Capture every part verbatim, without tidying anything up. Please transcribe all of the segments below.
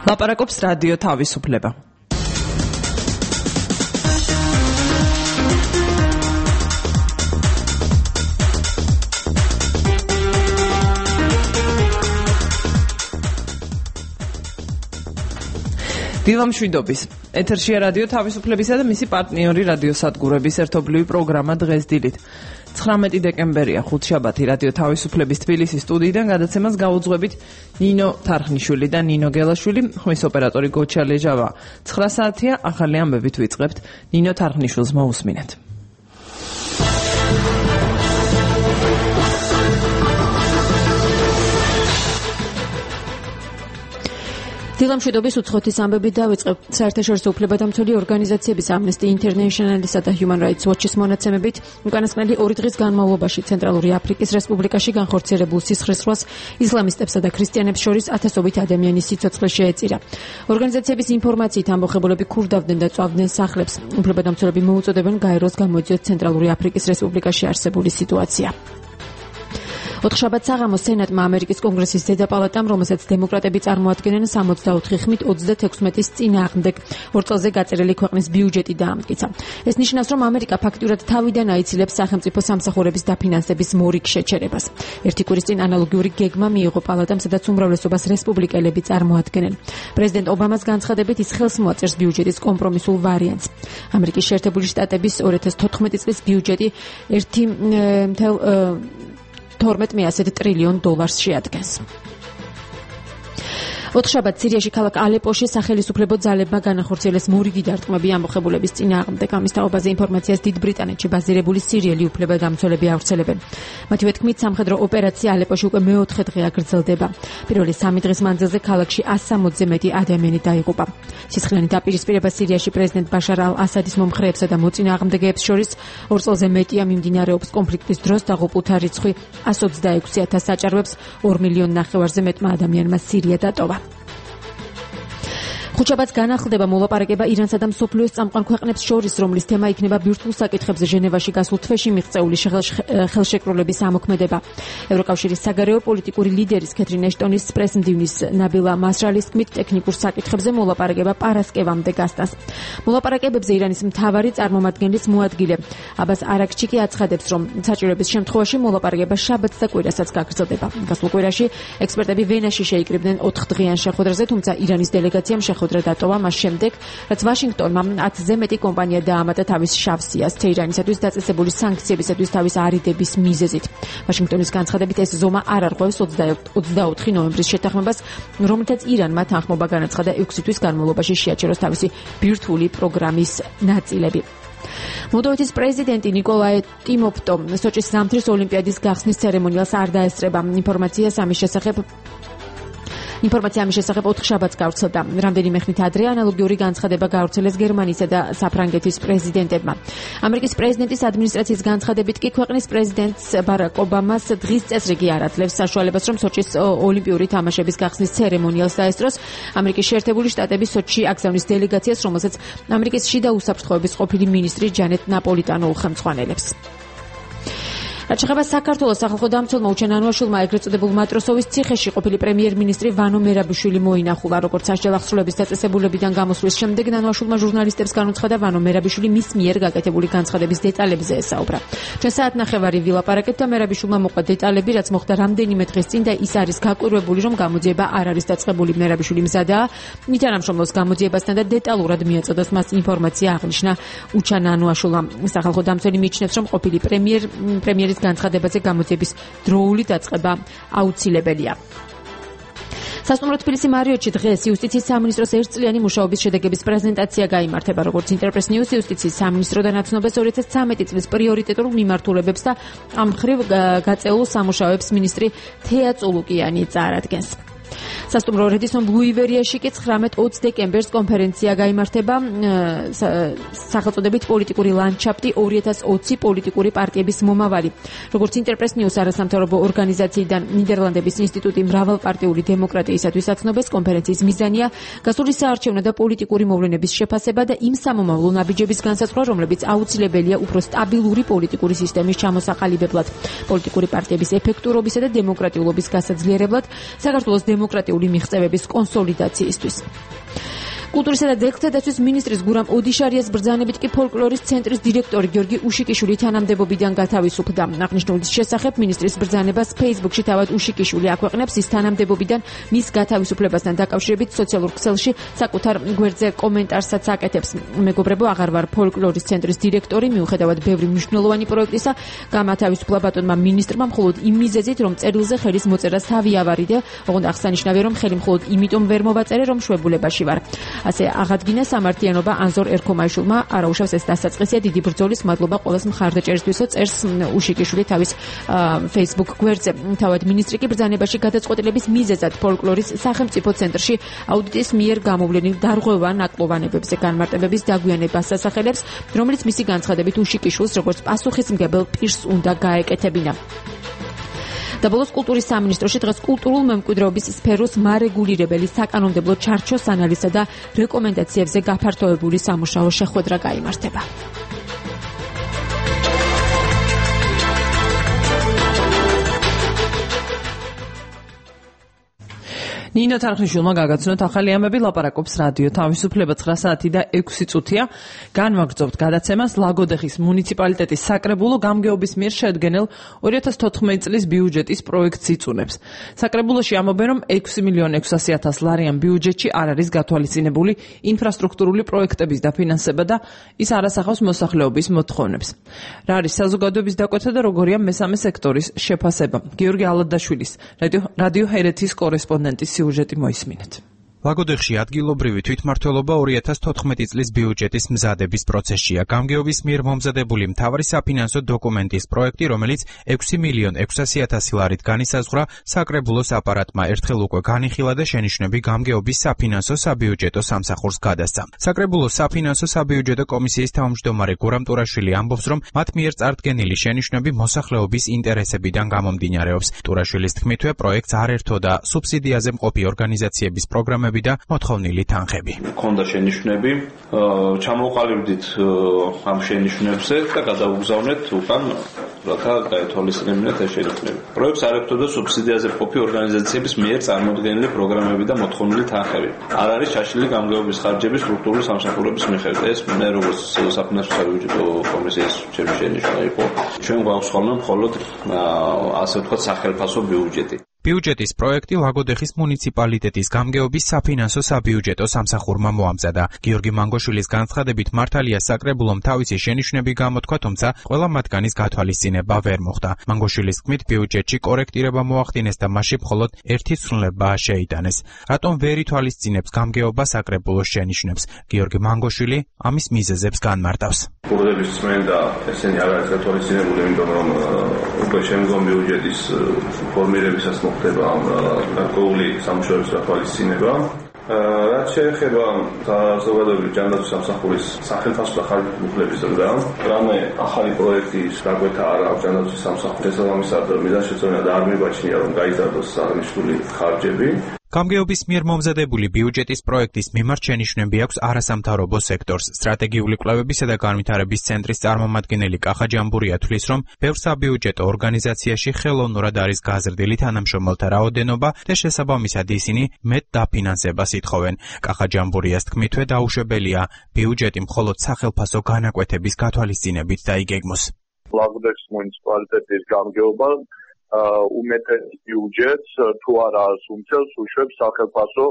ლაპარაკობს რადიო თავისუფლება. დილამშვიდობის. ეთერშია რადიო თავისუფლებისა და მისი პარტნიორი რადიოსადგურების ერთობლივი პროგრამა დღეს დილით. ცხრამეტი დეკემბერია, ხუთშაბათი, რადიო თავისუფლების თბილისის სტუდიიდან გადაცემას გაუძღვებით ნინო თარხნიშვილი და ნინო გელაშვილი, ხმის ოპერატორი გოჩა ლეჟავა. ცხრა საათია, ახალი ამბებით ვიწყებთ. ნინო თარხნიშვილს მოусმინეთ. დილამშვიდობის უცხოეთის ამბებით დავიწყებთ. საერთაშორისო უფლებადამცველი ორგანიზაციების Amnesty International-ისა და Human Rights Watch-ის მონაცემებით, უკანასკნელი ორი დღის განმავლობაში ცენტრალური აფრიკის რესპუბლიკაში განხორციელებულ სისხლისღვრას ისლამისტებსა და ქრისტიანებს შორის ათასობით ადამიანის სიცოცხლე შეეწირა. ორგანიზაციების ინფორმაციით ამბოხებულები ქურდავდნენ და წვავდნენ სახლებს. უფლებადამცველები მოუწოდებენ გაეროს გამოიძიოს ცენტრალური აფრიკის რესპუბლიკაში არსებული სიტუაცია. ოთხშაბათ საღამოს სენატმა ამერიკის კონგრესის ზედაპალატამ, რომელსაც დემოკრატები წარმოადგენენ, სამოცდაოთხი ხმით ოცდათექვსმეტის წინააღმდეგ ორ წელზე გაწერილი ქვეყნის ბიუჯეტი დაამტკიცა. ეს ნიშნავს, რომ ამერიკა ფაქტურად თავიდან აიცილებს სახელმწიფო სამსახურების დაფინანსების მორიგ შეჩერებას. ერთი კვირის წინ ანალოგიური გეგმა მიიღო პალატამ, სადაც უმრავლესობას რესპუბლიკელები წარმოადგენენ. პრეზიდენტ ობამას განცხადებით ის ხელს მოაწერს ბიუჯეტის კომპრომისულ ვარიანტს. ამერიკის შეერთებული შტატების ორი ათას თოთხმეტი წლის ბიუჯეტი ერთი მთელ თორმეტ მიასეთ ტრილიონ დოლარს შეადგენს. ოთხშაბათ სირიაში ქალაქ ალეპოში სახელისუფლებო ძალებმა განახორციელეს მორიგი დარტყმები ამბოხებულების წინააღმდეგ. ამის თაობაზე ინფორმაციას დიდ ბრიტანეთში ბაზირებული სირიელი უფლებადამცველები ავრცელებენ. მათივე თქმით, სამხედრო ოპერაცია ალეპოში უკვე მეოთხე დღეა გრძელდება. პირველი სამი დღის მანძილზე ქალაქში ასი სამოცზე მეტი ადამიანი დაიღუპა. სისხლიანი დაპირისპირება სირიაში პრეზიდენტ ბაშარ ალ-ასადის მომხრეებსა და მოწინააღმდეგეებს შორის ორ წელზე მეტია მიმდინარეობს. კონფლიქტის დროს დაღუპულთა რიცხვი ათას ოცდაექვსი ათასს აჭარბებს, ორ მილიონ ნახევარზე მეტმა ადამიანმა სირია დატოვა. ხუთშაბათს განახლდება მოლაპარაკება ირანსა და მსოფლიოს წამყვან ქვეყნებს შორის, რომლის თემა იქნება ბირთვულ საკითხებზე ჟენევაში გასულ თვეში მიღწეული ხელშეკრულების ამოქმედება. ევროკავშირის საგარეო პოლიტიკური ლიდერის კეთრინ ეშტონის პრესმდივნის ნაბილა მასრალის თქმით, ტექნიკურ საკითხებზე მოლაპარაკება პარასკევამდე გასტანს. მოლაპარაკებებზე ირანის მთავარი წარმომადგენლის მოადგილე აბას არაქჩიკი აცხადებს, რომ საჭიროების შემთხვევაში მოლაპარაკება შაბათს და კვირასაც გაგრძელდება. გასულ კვირაში ექსპერტები ვენაში შეიკრიბნენ ოთხდღიან შეხვედრაზე, თუმცა ირანის დელეგაციამ შეხვედრა დატოვა მას შემდეგ, რაც ვაშინგტონმა ათზე მეტი კომპანია დაამატა თავის შავ სიას თეირანისათვის დაწესებული სანქციებისათვის თავის არიდების მიზეზით. ვაშინგტონის განცხადებით ეს ზომა არ არღვევს ოცდაოთხი ნოემბრის შეთანხმებას, რომელთაც ირანმა თანხმობა განაცხადა ექვსი თვის განმავლობაში შეაჩეროს თავისი ბირთვული პროგრამის ნაწილები. მოლდოვეთის პრეზიდენტი ნიკოლაი ტიმოფტო სოჭის ზამთრის ოლიმპიადის გახსნის ცერემონიალს არ დაესწრება. ინფორმაციას ამის შესახებ ინფორმაცია ამის შესახებ ოთხშაბათს გავრცელდა. რამდენიმე ხნით ადრე ანალოგიური განცხადება გავრცელეს გერმანისა და საფრანგეთის პრეზიდენტებმა. ამერიკის პრეზიდენტის ადმინისტრაციის განცხადებით კი ქვეყნის პრეზიდენტს ბარაკ ობამას დღის წესრიგი არ აძლევს საშუალებას, რომ სოჭის ოლიმპიური თამაშების გახსნის ცერემონიალს დაესწროს. ამერიკის შეერთებული შტატების სოჭში აგზავნის დელეგაციას, რომელსაც ამერიკის შიდა უსაფრთხოების ყოფილი მინისტრი ჯანეტ ნაპოლიტანო უხელმძღვანელებს. რაც შეეხება საქართველოს სახალხო დამცველმა უჩენ ანუაშვილმა ეგრეთ წოდებულ მატროსოვის ციხეში ყოფილი პრემიერ-მინისტრი ვანო მერაბიშვილი მოინახულა. როგორც სასჯელ აღსრულების დაწესებულებიდან გამოსვლის შემდეგ ანუაშვილმა ჟურნალისტებს განუცხადა, ვანო მერაბიშვილი მის მიერ გაკეთებული განცხადების დეტალებზე ესაუბრა. ჩვენ საათნახევარი ვილაპარაკებთ და მერაბიშვილმა მოყვა დეტალები, რაც მოხდა რამდენიმე დღის წინ და ის არის გაკვირვებული, რომ გამოძიება არ არის დაწყებული. მერაბიშვილი მზადაა ითანამშრომლობს გამოძიებასთან და დეტალურად მიაწოდოს მას ინფორმაცია, აღნიშნა უჩან ანუაშვილმა. სახალხო დამცველი მიიჩნევს, რომ ყოფილი პრემიერ პრემიერის განცხადებაზე გამოძიების დროული დაწყება აუცილებელია. სასტუმრო თბილისი მარიოტში დღეს იუსტიციის სამინისტროს ერთწლიანი მუშაობის შედეგების პრეზენტაცია გაიმართება. როგორც ინტერპრეს ნიუს იუსტიციის სამინისტროდან აცნობს ორი ათას ცხრამეტი წლის პრიორიტეტულ მიმართულებებს და ამ მხრივ გაწეულ სამუშაოებს მინისტრი თეა წულუკიანი წარადგენს. სასტუმრო რედისონ ბლუივერიაში კი ცხრამეტ ოცი დეკემბერს კონფერენცია გაიმართება სახელწოდებით პოლიტიკური ლანდშაფტი ორი ათას ოცი პოლიტიკური პარტიების მომავალი. როგორც ინტერპრეს ნიუს არასამთავრობო ორგანიზაციიდან ნიდერლანდების ინსტიტუტი მრავალპარტიული დემოკრატიისათვის აცნობს, კონფერენციის მიზანია გასული საარჩევნო და პოლიტიკური მოვლენების შეფასება და იმ სამომავლო ნაბიჯების განსაზღვრა, რომლებიც აუცილებელია უფრო სტაბილური პოლიტიკური სისტემის ჩამოსაყალიბებლად, პოლიტიკური პარტიების ეფექტურობისა და დემოკრატიულობის გასაძლიერებლად, საქართველოს დემოკრატიული მიღწევების კონსოლიდაციისთვის. კულტურისა და ძეგლთა დაცვის მინისტრის გურამ ოდიშარიას ბრძანებით კი ფოლკლორის ცენტრის დირექტორი გიორგი უშიკიშვილი თანამდებობიდან გათავისუფლდა. აღნიშნულის შესახებ მინისტრის ბრძანებას Facebook-ში თავად უშიკიშვილი აქვეყნებს. ის თანამდებობიდან მის გათავისუფლებასთან დაკავშირებით სოციალურ ქსელში საკუთარ გვერდზე კომენტარსაც აკეთებს. მეგობრებო, აღარ ვარ ფოლკლორის ცენტრის დირექტორი, მიუხედავად ბევრი მნიშვნელოვანი პროექტისა, გამათავისუფლა ბატონმა მინისტრმა მხოლოდ იმ მიზეზით, რომ წერილზე ხელის მოწერას თავი ავარიდე. ოღონდ აღსანიშნავია, რომ ხელი მხოლოდ იმიტომ ვერ მოვაწერე, რომ შვებულებაში ვარ. ასე აღადგინა სამართლიანობა ანზორ ერქომაიშვილმა. არაუშავს ეს დასაწყისია დიდი ბრძოლის. მადლობა ყველას მხარდაჭერისთვისო, წერს უშიკიშვილი თავის Facebook გვერდზე. თავად მინისტრი კი ბრძანებაში გადაწყვეტილების მიზეზად ფოლკლორის სახელმწიფო ცენტრში აუდიტის მიერ გამოვლენილ დარღვევა ნაკლოვანებებზე განმარტებების დაგვიანებას ასახელებს, რომელიც მისი განცხადებით უშიკიშვილს როგორც პასუხისმგებელ პირს უნდა გაეკეთებინა. და ბოლოს კულტურის სამინისტროში დღეს კულტურულ მემკვიდრეობის სფეროს მარეგულირებელი საკანონმდებლო ჩარჩოს ანალიზსა და რეკომენდაციებზე გაფართოებული სამუშაო შეხვედრა გაიმართება. ნინო თარხნიშვილმა გაგაცნოთ ახალი ამბები, ლაპარაკობს რადიო თავისუფლება ცხრა საათი და ექვსი წუთია. განვაგრძობთ გადაცემას ლაგოდეხის მუნიციპალიტეტის საკრებულო გამგეობის მიერ შედგენილ ორი ათას თოთხმეტი წლის ბიუჯეტის პროექტს იწუნებს. საკრებულოში ამბობენ, რომ ექვსი მილიონი ექვსასი ათას ლარიან ბიუჯეტში არ არის გათვალისწინებული ინფრასტრუქტურული პროექტების დაფინანსება და ის არ ასახავს მოსახლეობის მოთხოვნებს. რა არის საზოგადოების დაკვეთა და როგორია მესამე სექტორის შეფასება? გიორგი ალადაშვილის რადიო რადიო ჰერეთის კორესპონდენტის სიუჟეტი მოისმინეთ. ლაგოდეხში ადგილობრივი თვითმმართველობა ორი ათას თოთხმეტი წლის ბიუჯეტის მზადების პროცესშია. გამგეობის მიერ მომზადებული მთავარი საფინანსო დოკუმენტის პროექტი, რომელიც ექვსი მილიონი ექვსასი ათასი ლარით განისაზღვრა, საკრებულოს აპარატმა ერთხელ უკვე განიხილა და შენიშვნები გამგეობის საფინანსო საბიუჯეტო სამსახურს გადასცა. საკრებულოს საფინანსო საბიუჯეტო კომისიის თავმჯდომარე გურამ ტურაშვილი ამბობს, რომ მათ მიერ წარდგენილი შენიშვნები მოსახლეობის ინტერესებიდან გამომდინარეობს. ტურაშვილის თქმითვე, პროექტს არ ერთოდა სუბსიდიაზე მყოფი ორგანიზაციების პროგრამები და მოთხოვნილი თანხები. Ქონდა შენიშვნები, ჩამოყალიბდით ამ შენიშვნებზე და გადავუგზავნეთ უკან, რათა გაეთვალისწინებინათ ეს შენიშვნები. პროექტს არ ეხება სუბსიდიაზე მყოფი ორგანიზაციების მიერ წარმოდგენილი პროგრამები და მოთხოვნილი თანხები. არ არის ჩაშლილი გამგეობის ხარჯების სტრუქტურული სამსახურების მიხედვით. ეს მე როგორც საფინანსო საბიუჯეტო კომისიის ჩემი შენიშვნა იყო. ჩვენ გვაქვს ხოლმე მხოლოდ ასე ვთქვათ სახელმწიფო ბიუჯეტი. ბიუჯეტის პროექტი ლაგოდეხის მუნიციპალიტეტის გამგეობის საფინანსო საბიუჯეტო სამსახურმა მოამზადა. გიორგი მანგოშვილის განცხადებით, მართალია საკრებულომ თავისი შენიშვნები გამოთქვა, თუმცა ყველა მათგანის გათვალისწინება ვერ მოხდა. მანგოშვილის თქმით, ბიუჯეტში კორექტირება მოახდინეს და მასში მხოლოდ ერთი ცვლილება შეიტანეს. რატომ ვერ ითვალისწინებს გამგეობა საკრებულოს შენიშვნებს? გიორგი მანგოშვილი ამის მიზეზებს განმარტავს. კურდების წმენდა ესენი არ არის გათვალისწინებული, იმიტომ რომ უკვე შემდგომ ბიუჯეტის ფორმირებისას მოხდება ამ გარკვეული სამუშაოების გათვალისწინება. რაც შეეხება საზოგადოებრივი ჯანდაცვის სამსახურის სახელმწიფო და ხარჯების უფლების ზრდა, რამე ახალი პროექტის გაკვეთა არ აქვს ჯანდაცვის სამსახურის შესაბამისად მიზანშეწონილად არ მიბაჩნია, რომ გაიზარდოს აღნიშნული ხარჯები. გამგეობის მიერ მომზადებული ბიუჯეტის პროექტის მიმართ შენიშვნები აქვს არასამთავრობო სექტორს. სტრატეგიული კვლევებისა და განვითარების ცენტრის წარმომადგენელი კახა ჯამბურია თვლის, რომ ბევრ საბიუჯეტო ორგანიზაციაში ხელოვნურად არის გაზრდილი თანამშრომელთა რაოდენობა და შესაბამისად ისინი მეტ დაფინანსებას ითხოვენ. კახა ჯამბურიას თქმითვე, დაუშვებელია ბიუჯეტი მხოლოდ სახელმწიფო განაკვეთების გათვალისწინებით დაიგეგმოს. ლაგოდეხის მუნიციპალიტეტის გამგეობა უმეტეს ბიუჯეტს თუ არა უმცელს უშვებს სახელმწიფო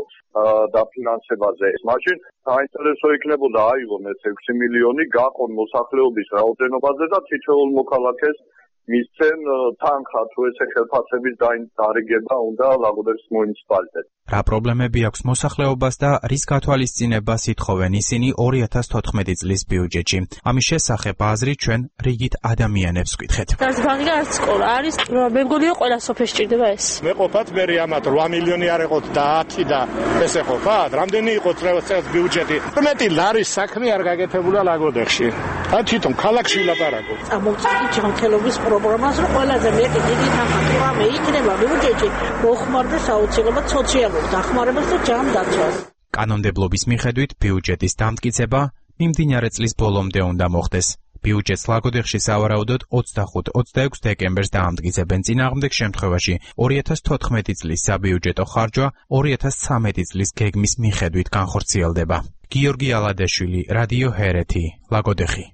დაფინანსებაზე. მაშინ საინტერესო იქნებოდა აიღონ ეს ექვსი მილიონი, გაყონ მოსახლეობის რაოდენობაზე და თითოეულ მოქალაქეს მისცენ თანხა თუ ესე ხელფასების დარიგება უნდა ლაგოდეხის მუნიციპალიტეტს. რა პრობლემები აქვს მოსახლეობას და რის გათვალისწინებას ითხოვენ ისინი ორი ათას თოთხმეტი წლის ბიუჯეტში? ამის შესახებ აზრი ჩვენ რიგით ადამიანებს ვკითხეთ. არც ბანკი, არც სკოლა არის. მე მგონია ყველა სოფელში ჭირდება ეს. მე ყოფათ მე ამათ რვა მილიონი არ ეყოთ და ათი და ესე ყოფათ. რამდენი იყო წელს ბიუჯეტი? მეტი ლარის საქმე არ გაკეთებულა ლაგოდეხში. და თვითონ ქალაქში ლაპარაკობ. წამოვწყვეტი ჯანმრთელობის პროგრამას, რომ ყველაზე მეტი დიდი თანხა თუ რამე იქნება ბიუჯეტში, მოხმარდეს აუცილებლად სოციალურ დახმარებას და ჯანდაცვას. კანონმდებლობის მიხედვით ბიუჯეტის დამტკიცება მიმდინარე წლის ბოლომდე უნდა მოხდეს. ბიუჯეტს ლაგოდეხში სავარაუდოდ ოცდახუთ ოცდაექვსი დეკემბერს დაამტკიცებენ. წინააღმდეგ შემთხვევაში ორი ათას თოთხმეტი წლის საბიუჯეტო ხარჯვა ორი ათას ცხრამეტი წლის გეგმის მიხედვით განხორციელდება. გიორგი ალადეშვილი, რადიო ჰერეთი, ლაგოდეხი.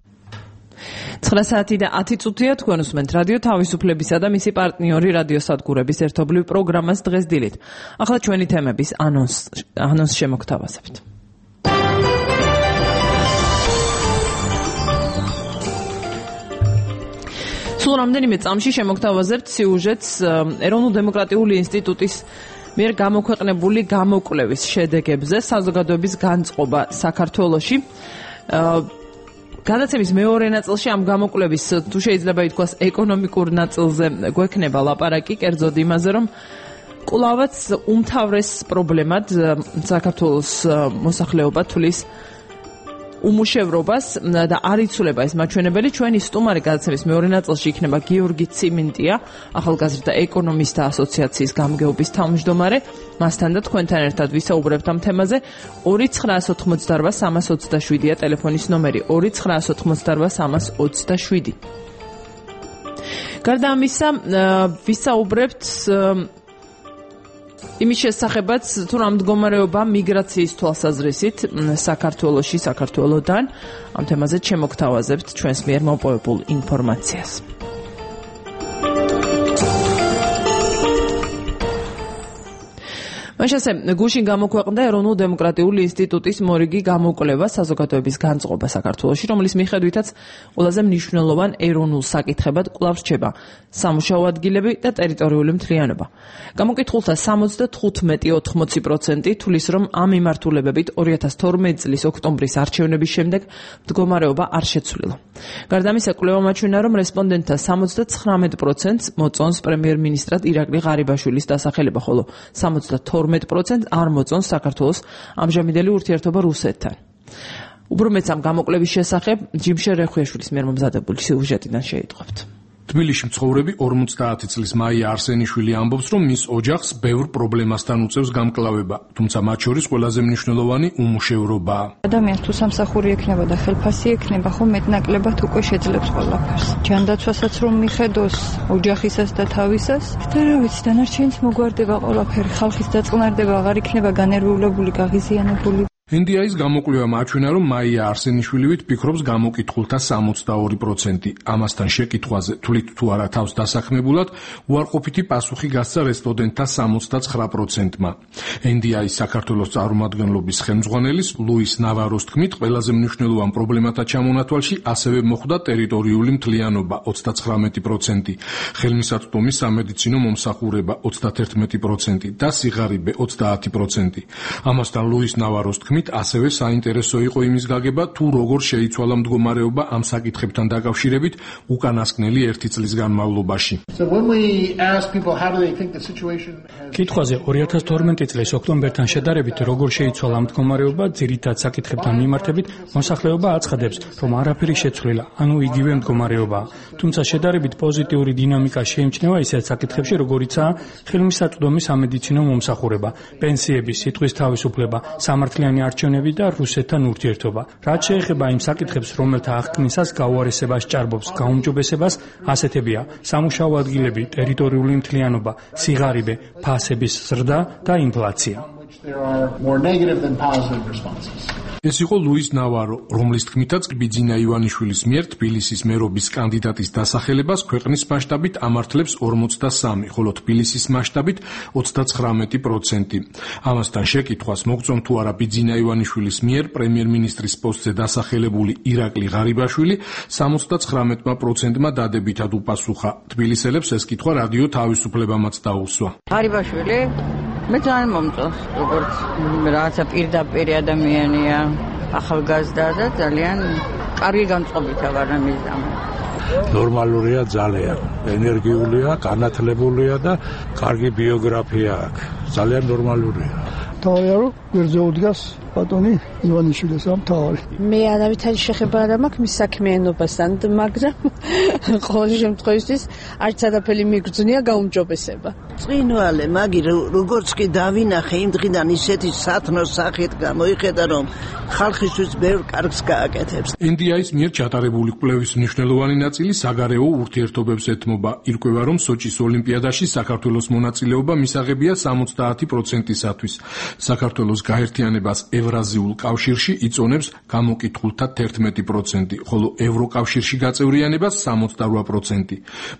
ცხრა საათი და ათი წუთია თქვენ უსმენთ რადიო თავისუფლებისა და მისი პარტნიორი რადიოსადგურების ერთობლივ პროგრამას დღეს დილით. ახლა ჩვენი თემების ანონს ანონს შემოგთავაზებთ. სულ რამდენიმე წამში შემოგთავაზებთ სიუჟეტს ეროვნულ-დემოკრატიული ინსტიტუტის მიერ გამოქვეყნებული გამოკვლევის შედეგებზე საზოგადოების განწყობა საქართველოში. გადაცემის მეორე ნაწილში ამ გამოკვლევის თუ შეიძლება ითქვას ეკონომიკურ ნაწილზე გვექნება ლაპარაკი, კერძოდ იმაზე, რომ კვლავაც უმთავრეს პრობლემად საქართველოს მოსახლეობა თulis უმუშევრობას და არ იცვლება ეს მაჩვენებელი. ჩვენი სტუმარი გადაცემის მეორე ნაწილში იქნება გიორგი ციმინტია, ახალგაზრდა ეკონომისტთა ასოციაციის გამგეობის თავმჯდომარე. მასთან და თქვენთან ერთად ვისაუბრებთ ამ თემაზე. ორი ცხრაას ოთხმოცდარვა სამას ოცდაშვიდია ტელეფონის ნომერი ორი ცხრაას ოთხმოცდარვა სამას ოცდაშვიდი. გარდა ამისა, ვისაუბრებთ იმის შესახებაც, თუ რა მდგომარეობა მიგრაციის თვალსაზრისით საქართველოში, საქართველოდან. ამ თემაზე შემოგთავაზებთ ჩვენს მიერ მოპოვებულ ინფორმაციას. მაშასე გუშინ გამოქვეყნდა ეროვნულ-დემოკრატიული ინსტიტუტის მორიგი გამოკვლევა საზოგადოების განწყობა საქართველოში, რომლის მიხედვითაც ყველაზე მნიშვნელოვან ეროვნულ საკითხებად კვლავ რჩება სამუშაო ადგილები და ტერიტორიული მთლიანობა. გამოკითხულთა სამოცდათხუთმეტი და ორმოცი პროცენტი თulis რომ ამ მიმართულებებით ორი ათას თორმეტი წლის ოქტომბრის არჩევნების შემდეგ მდგომარეობა არ შეცვლილა. გარდა ამისა, კვლევა მაჩვენა, რომ რესპონდენტთა სამოცდაცხრამეტ პროცენტს მოწონს პრემიერ-მინისტრად ირაკლი ღარიბაშვილის დასახელება, ხოლო სამოცდათორმეტ პროცენტს არ მოწონს საქართველოს ამჟამინდელი ურთიერთობა რუსეთთან. უბრალოდ ამ გამოკვლევის შესახებ ჯიმშერ რეხვიაშვილის მიერ მომზადებული სიუჟეტიდან შეიტყვებთ. თბილისში მცხოვრები ორმოცდაათი წლის მაია არსენიშვილი ამბობს, რომ მის ოჯახს ბევრ პრობლემასთან უწევს გამკლავება, თუმცა მათ შორის ყველაზე მნიშვნელოვანი უმუშევრობაა. ადამიანს თუ სამსახური ექნება და ხელფასი ექნება, ხომ მეტნაკლებად უკვე შეძლებს ყველაფერს. ჯანდაცვასაც რომ მიხედოს, ოჯახისას და თავისას, და რა ვიცი, დანარჩენიც მოგვარდება ყველაფერი, ხალხის დაწყნარდება აღარ იქნება განერვიულებული, გაღიზიანებული. ენ დი აის გამოკვლევა მაჩვენა, რომ მაია არსენიშვილივით ფიქრობს გამოკითხულთა სამოცდაორი პროცენტი. ამასთან შეკითხვაზე თვლით თუ არა თავს დასაქმებულად, უარყოფითი პასუხი გასცა რესპონდენტთა სამოცდაცხრა პროცენტმა. ენ დი აის საქართველოს წარმომადგენლობის ხელმძღვანელის ლუის ნავაროს თქმით, ყველაზე მნიშვნელოვან პრობლემათა ჩამონათვალში ასევე მოხვდა ტერიტორიული მთლიანობა ოცდაცხრამეტი პროცენტი, ხელმისაწვდომი სამედიცინო მომსახურება ოცდაათერთმეტი პროცენტი და სიღარიბე ოცდაათი პროცენტი. ამასთან ლუის ნავაროს თქმით, ასევე საინტერესო იყო იმის გაგება, თუ როგორ შეიცვალა მდგომარეობა ამ საკითხებთან დაკავშირებით უკანასკნელი ერთი წლის განმავლობაში. კითხვაზე ორი ათას თორმეტი წლის ოქტომბერთან შედარებით როგორ შეიცვალა მდგომარეობა, ძირითად საკითხებთან მიმართებით მოსახლეობა აცხადებს, რომ არაფერი შეცვლილა, ანუ იგივე მდგომარეობაა. თუმცა შედარებით პოზიტიური დინამიკა შეიმჩნევა ისეთ საკითხებში, როგორიცაა ხელმისაწვდომი სამედიცინო მომსახურება, პენსიების, სიტყვის თავისუფლება, სამართლიანი არჩევნები და რუსეთთან ურთიერთობა. რაც შეეხება იმ საკითხებს, რომელთა აღქმისას გაუარესებას ჭარბობს გაუმჯობესებას, ასეთებია სამუშაო ადგილები, ტერიტორიული მთლიანობა, სიღარიბე, ფასების ზრდა და ინფლაცია. ეს იყო ლუის ნავარო, რომლის თქმითაც ბიძინა ივანიშვილის მიერ თბილისის მერობის კანდიდატის დასახელებას ქვეყნის მასშტაბით ამართლებს ორმოცდასამი, ხოლო თბილისის მასშტაბით ოცდაცხრამეტი პროცენტი. ამასთან შეკითხვას მოგწონთ თუ არა ბიძინა ივანიშვილის მიერ პრემიერ-მინისტრის პოსტზე დასახელებული ირაკლი ღარიბაშვილი სამოცდაცხრამეტმა პროცენტმა დადებითად უპასუხა. თბილისელებს ეს კითხვა რადიო თავისუფლებამაც დაუსვა. ღარიბაშვილი მე ძალიან მომწონს, როგორც რაღაცა პირდაპირ ადამიანია, ახალგაზრდა და ძალიან კარგი განწყობითა ვარ ამის გამო. ნორმალურია ძალიან, ენერგიულია, განათლებულია და კარგი ბიოგრაფია აქვს. ძალიან ნორმალურია. თავია რომ გვერდზე უდგას ბატონი ივანიშვილის ამ თავი. მე არავითარი შეხება არ მაქვს მის საქმიანობასთან, მაგრამ ყოველ შემთხვევაში არც არაფერი მიგრძნია გაუმჯობესება. წინვალე, მაგი როგორც კი დავინახე იმ დღიდან ისეთი სათნო სახით გამოიხედა, რომ ხალხისთვის ბევრ კარგს გააკეთებს. ენ დი აის მიერ ჩატარებული კვლევის მნიშვნელოვანი ნაწილი საგარეო ურთიერთობებს ეთმობა. ირკვევა, რომ სოჭის ოლიმპიადაში საქართველოს მონაწილეობა მისაღებია სამოცდაათი პროცენტისათვის. საქართველოს გაერთიანებას ევრაზიულ კავშირში იწონებს გამოკითხულთა თერთმეტი პროცენტი, ხოლო ევროკავშირში გაწევრიანებას სამოცდარვა პროცენტი.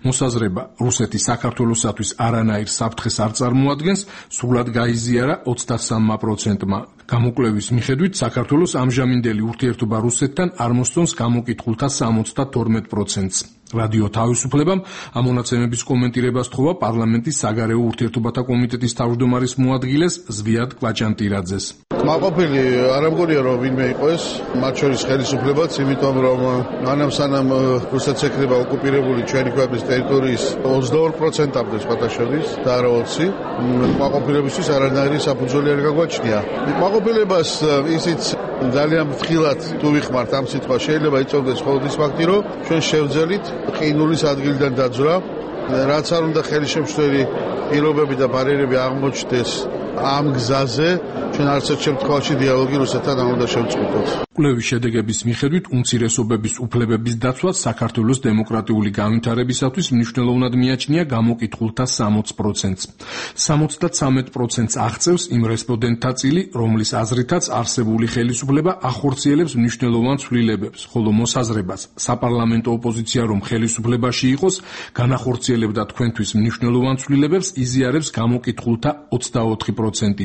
მოსაზრება რუსეთი საქართველოსათვის არანაირ საფრთხეს არ წარმოადგენს, სრულად გაიზიარა ოცდასამმა პროცენტმა. გამოკვლევის მიხედვით საქართველოს ამჟამინდელი ურთიერთობა რუსეთთან არ მოსწონს გამოკითხულთა სამოცდათორმეტ პროცენტს. რადიო თავისუფლებამ ამ მონაცემების კომენტირებას თხოვა პარლამენტის საგარეო ურთიერთობათა კომიტეტის თავმჯდომარის მოადგილეს ზვიად კვაჭანტირაძეს. კმაყოფილი არ ამგონია რომ ვინმე იყო ეს, მათ შორის ხელისუფლებაც, იმიტომ რომ მანამ სანამ რუსეთს ეკრება ოკუპირებული ჩვენი ქვეყნის ტერიტორიის ოცდაორ პროცენტამდე სხვათა შორის და არა ოცი, კმაყოფილებისთვის არანაირი საფუძველი არ გაგვაჩნია. კმაყოფილებას ისიც ძალიან ფრთხილად თუ ვიხმართ ამ სიტყვას, შეიძლება იწოვდეს მხოლოდ ის ფაქტი, რომ ჩვენ შევძელით ყინულის ადგილიდან დაძვრა, რაც არ უნდა ხელისშემშლელი პირობები და ბარიერები აღმოჩნდეს ამ გზაზე, ჩვენ არც ერთ შემთხვევაში დიალოგი რუსეთთან არ უნდა შევწყვიტოთ. კვლევის შედეგების მიხედვით უმცირესობების უფლებების დაცვა საქართველოს დემოკრატიული განვითარებისათვის მნიშვნელოვნად მიაჩნია გამოკითხულთა სამოც პროცენტს. სამოცდათრამეტ პროცენტს აღწევს იმ რესპონდენტთა წილი, რომლის აზრითაც არსებული ხელისუფლება ახორციელებს მნიშვნელოვან ცვლილებებს, ხოლო მოსაზრებას საპარლამენტო ოპოზიცია რომ ხელისუფლებაში იყოს, განახორციელებდა თქვენთვის მნიშვნელოვან ცვლილებებს იზიარებს გამოკითხულთა ოცდაოთხი პროცენტი.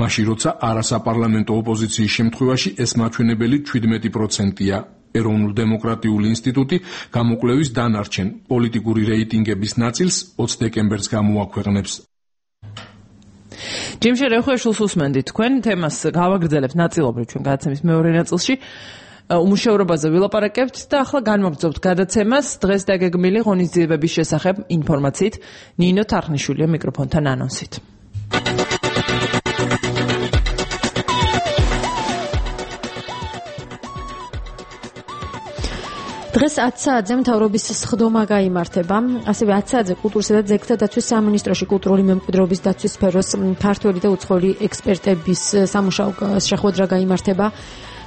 მაშინ როცა არასაპარლამენტო ოპოზიციის შემთხვევაში ეს მაჩვენებელი შვიდმეტი პროცენტია. ეროვნულ-დემოკრატიული ინსტიტუტი გამოკვლევის დანარჩენ პოლიტიკური რეიტინგების ნაწილს ოცი დეკემბერს გამოაქვეყნებს. ჯიმ შერეხუაშვილს უსმენდით თქვენ თემას გავაგრძელებთ ნაწილობრივ ჩვენ გადაცემის მეორე ნაწილში. უმუშევრობაზე ვილაპარაკებთ და ახლა განვაგრძობთ გადაცემას დღეს დაგეგმილი ღონისძიებების შესახებ ინფორმაციით. ნინო თარხნიშვილია მიკროფონთან ანონსით. დღეს ათი საათზე მთავრობის სხდომა გაიმართება. ასევე ათი საათზე კულტურისა და ძეგლთა დაცვის სამინისტროში კულტურული მემკვიდრეობის დაცვის სფეროს ქართველი და უცხოელი ექსპერტების სამუშაო შეხვედრა გაიმართება.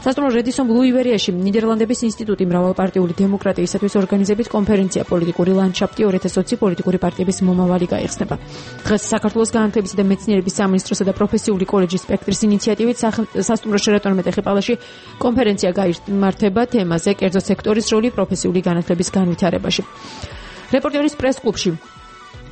სასტუმრო რედისონ ბლუ ივერიაში ნიდერლანდების ინსტიტუტი მრავალპარტიული დემოკრატიისათვის ორგანიზებით კონფერენცია პოლიტიკური ლანდშაფტი ორი ათას ოცი პოლიტიკური პარტიების მომავალი გაიხსნება. დღეს საქართველოს განათლებისა და მეცნიერების სამინისტროსა და პროფესიული კოლეჯის სპექტრის ინიციატივით სასტუმრო შერატონ მეტეხიპალაში კონფერენცია გაიმართება თემაზე კერძო სექტორის როლი პროფესიული განათლების განვითარებაში. რეპორტერის პრეს-კლუბში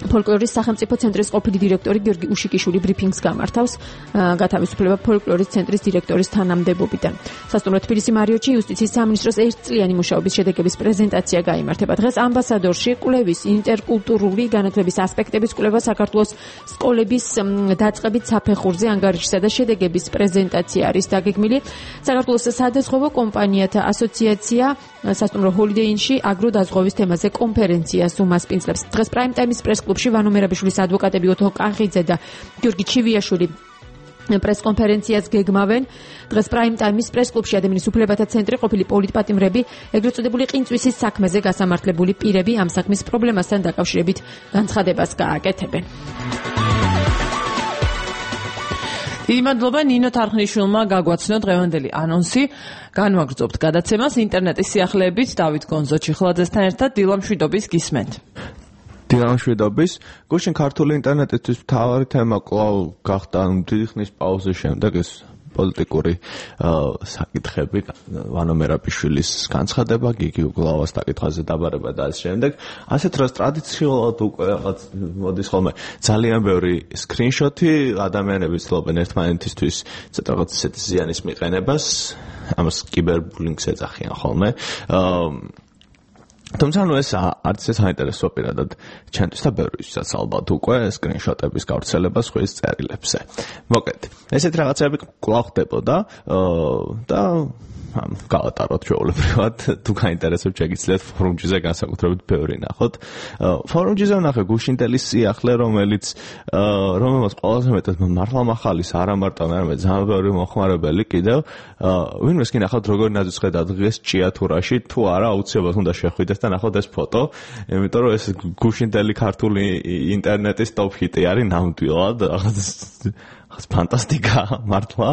ფოლკლორის სახელმწიფო ცენტრის ყოფილი დირექტორი გიორგი უშიკიშვილი ბრიფინგს გამართავს გათავისუფლება ფოლკლორის ცენტრის დირექტორის თანამდებობიდან. სასტუმრო თბილისი მარიოტში იუსტიციის სამინისტროს ერთწლიანი მუშაობის შედეგების პრეზენტაცია გაიმართება. დღეს ამბასადორში კვლევის ინტერკულტურული განათლების ასპექტების კვლევა საქართველოს სკოლების დაწყებით საფეხურზე ანგარიშსა და შედეგების პრეზენტაცია არის დაგეგმილი. საქართველოს სადაზღვევო კომპანიათა ასოციაცია სასტუმრო ჰოლიდეინში აგროდაზღვევის თემაზე კონფერენციას უმასპინძლებს. დღეს პრაიმ ტაიმის პრეს კლუბში ვანო მერაბიშვილის ადვოკატები ოთო კახიძე და გიორგი ჩივიაშვილი პრესკონფერენციას გეგმავენ. დღეს პრაიმ ტაიმის პრეს კლუბში ადამიანის უფლებათა ცენტრი ყოფილი პოლიტპატიმრები, ეგრეთ წოდებული ყინწვისის საქმეზე გასამართლებული პირები ამ საქმის პრობლემასთან დაკავშირებით განცხადებას გააკეთებენ. დიდი მადლობა ნინო თარხნიშვილმა გაგვაცნო დღევანდელი ანონსი. განვაგრძობთ გადაცემას ინტერნეტის სიახლეებით დავით გონზო-ჩიხლაძესთან ერთად დილამშვიდობის გისმენთ. დილამშვიდობის. გუშინ ქართული ინტერნეტისთვის მთავარი თემა კვლავ გახდა დიდი ხნის პაუზის შემდეგ ეს პოლიტიკური საკითხები, ვანო მერაბიშვილის განცხადება, გიგი უგლავას საკითხაზე დაბარება და ამ შემდეგ. ასეთ დროს ტრადიციულად უკვე რაღაც მოდის ხოლმე ძალიან ბევრი სკრინშოტი, ადამიანები ცდილობენ ერთმანეთისთვის ცოტა რაღაც ისეთ ზიანის მიყენებას, ამას კიბერბულინგს ეძახიან ხოლმე. თუმცა ნუ ეს არც ეს საინტერესო პირადად ჩვენთვის და ბევრისთვისაც ალბათ უკვე სკრინშოტების გავრცელება სხვის წერილებზე. მოკეთ, ესეთ რაღაცები კვლავ ხდებოდა და გავატაროთ ჩვეულებრივად, თუ გაინტერესებთ შეგიძლიათ ფორუმჯიზე განსაკუთრებით ბევრი ნახოთ. ფორუმჯიზე ვნახე გუშინდელის სიახლე, რომელიც რომელმაც ყველაზე მეტად მართლა მახალის არა მარტო მე, არამედ ძალიან ბევრი მოხმარებელი კიდევ ვინმეს კი ნახავთ როგორ ნაძვისხედა დღეს ჭიათურაში, თუ არა აუცილებლად უნდა შეხვიდეთ და ნახოთ ეს ფოტო, იმიტომ რომ ეს გუშინდელი ქართული ინტერნეტის ტოპ ჰიტი არის ნამდვილად რაღაც ფანტასტიკა მართლა.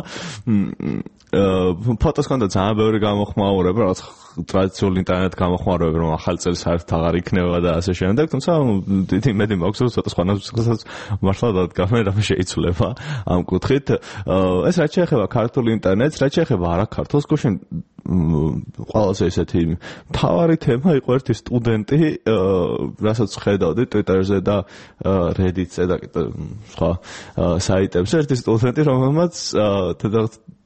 ფოტოს კონდა ძალიან ბევრი გამოხმაურება, რაღაც ტრადიციული ინტერნეტ გამოხმაურებები, რომ ახალი წელი საერთოდ აღარ იქნება და ასე შემდეგ, თუმცა დიდი იმედი მაქვს, რომ ცოტა სხვანაირად მართლა დადგამენ, რამე შეიცვლება ამ კუთხით. ეს რაც შეეხება ქართულ ინტერნეტს, რაც შეეხება არა ქართულს, გუშინ ყველაზე ესეთი მთავარი თემა იყო ერთი სტუდენტი, რასაც ხედავდი Twitter-ზე და Reddit-ზე და სხვა საიტებზე, ერთი სტუდენტი, რომელმაც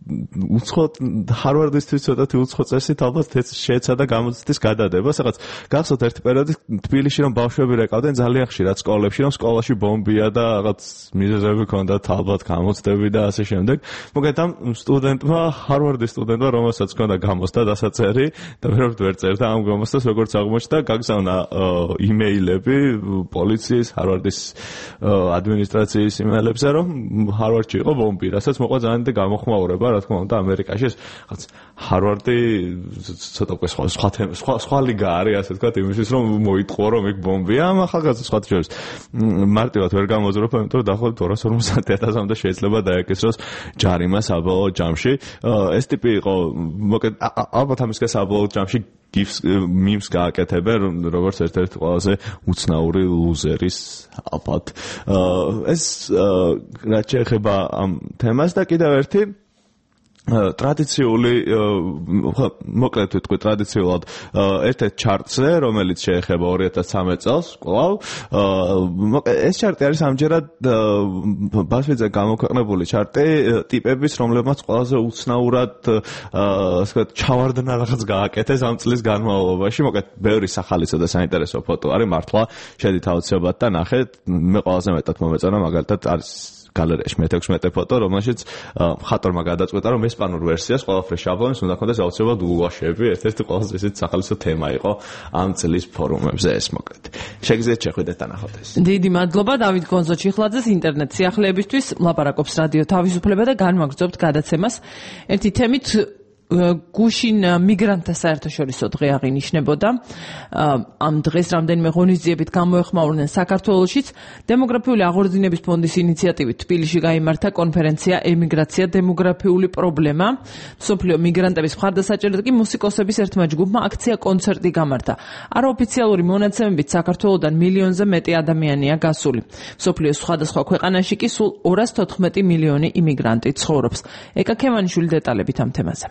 უცხოთ ჰარვარდისთვის ცოტათი უცხო წესით ალბათ შეეცადა გამოცდის გადადება, სადაც გახსოვთ ერთი პერიოდი თბილისში რომ ბავშვები რეკავდნენ ძალიან ხშირად სკოლებში, რომ სკოლაში ბომბია და რაღაც მიზეზები ჰქონდათ ალბათ გამოცდები და ასე შემდეგ. მოკლედ ამ სტუდენტმა, ჰარვარდის სტუდენტმა, რომელსაც ჰქონდა გამოცდა დასაწერი და ვერაფერ ვერ წერდა ამ გამოცდას, როგორც აღმოჩნდა, გაგზავნა იმეილები პოლიციის, ჰარვარდის ადმინისტრაციის იმეილებზე, რომ ჰარვარდში იყო ბომბი, რასაც მოყვა ძალიან დიდი გამოხმაურება. რა თქმა უნდა ამერიკაში ეს რაღაც ჰარვარდი ცოტა უკვე სხვა სხვა სხვა ლიგა არის ასე ვთქვათ იმისთვის რომ მოიტყო რომ იქ ბომბია ამ ახალგაზრდა სხვა შორის მარტივად ვერ გამოძროფა იმიტომ რომ დაახლოებით ორას ორმოცდაათი ათასამდე შეიძლება დაეკისროს ჯარიმა საბოლოო ჯამში ეს ტიპი იყო მოკლედ ალბათ ამისგან საბოლოო ჯამში გიფს მიმს გააკეთებენ როგორც ერთ-ერთი ყველაზე უცნაური ლუზერის ალბათ ეს რაც შეეხება ამ თემას და კიდევ ერთი ტრადიციული მოკლედ ვიტყვი ტრადიციულად ერთ-ერთ ჩარტზე რომელიც შეეხება ორი ათას ცხრამეტ წელს კვლავ ეს ჩარტი არის ამჯერად ბასვიძე გამოქვეყნებული ჩარტი ტიპების რომლებმაც ყველაზე უცნაურად ასე ვთქვათ ჩავარდნა რაღაც გააკეთეს ამ წლის განმავლობაში მოკლედ ბევრი სახალისო და საინტერესო ფოტო არის მართლა შედით აუცილებლად და ნახეთ მე ყველაზე მეტად მომეწონა მაგალითად არის გალერეაში მეთექვსმეტე ფოტო, რომელშიც მხატვარმა გადაწყვეტა, რომ ესპანურ ვერსიას ყველაფერი შაბლონის უნდა ქონდეს აუცილებლად ულვაშები, ერთ-ერთი ყველაზე ისეთი სახალისო თემა იყო ამ წლის ფორუმებზე ეს მოკლედ. შეგიძლიათ შეხვიდეთ და ნახოთ ეს. დიდი მადლობა დავით გონზო-ჩიხლაძეს ინტერნეტ სიახლეებისთვის, ლაპარაკობს რადიო თავისუფლება და განვაგრძობთ გადაცემას. ერთი თემით გუშინ მიგრანტთა საერთაშორისო დღე აღინიშნებოდა. ამ დღეს რამდენიმე ღონისძიებით გამოეხმაურნენ საქართველოშიც. დემოგრაფიული აღორძინების ფონდის ინიციატივით თბილისში გაიმართა კონფერენცია ემიგრაცია დემოგრაფიული პრობლემა. მსოფლიო მიგრანტების მხარდასაჭერად კი მუსიკოსების ერთმა ჯგუფმა აქცია კონცერტი გამართა. არაოფიციალური მონაცემებით საქართველოდან მილიონზე მეტი ადამიანია გასული. მსოფლიოს სხვადასხვა ქვეყანაში კი სულ ორას თოთხმეტი მილიონი იმიგრანტი ცხოვრობს. ეკა ქემანიშვილი დეტალებით ამ თემაზე.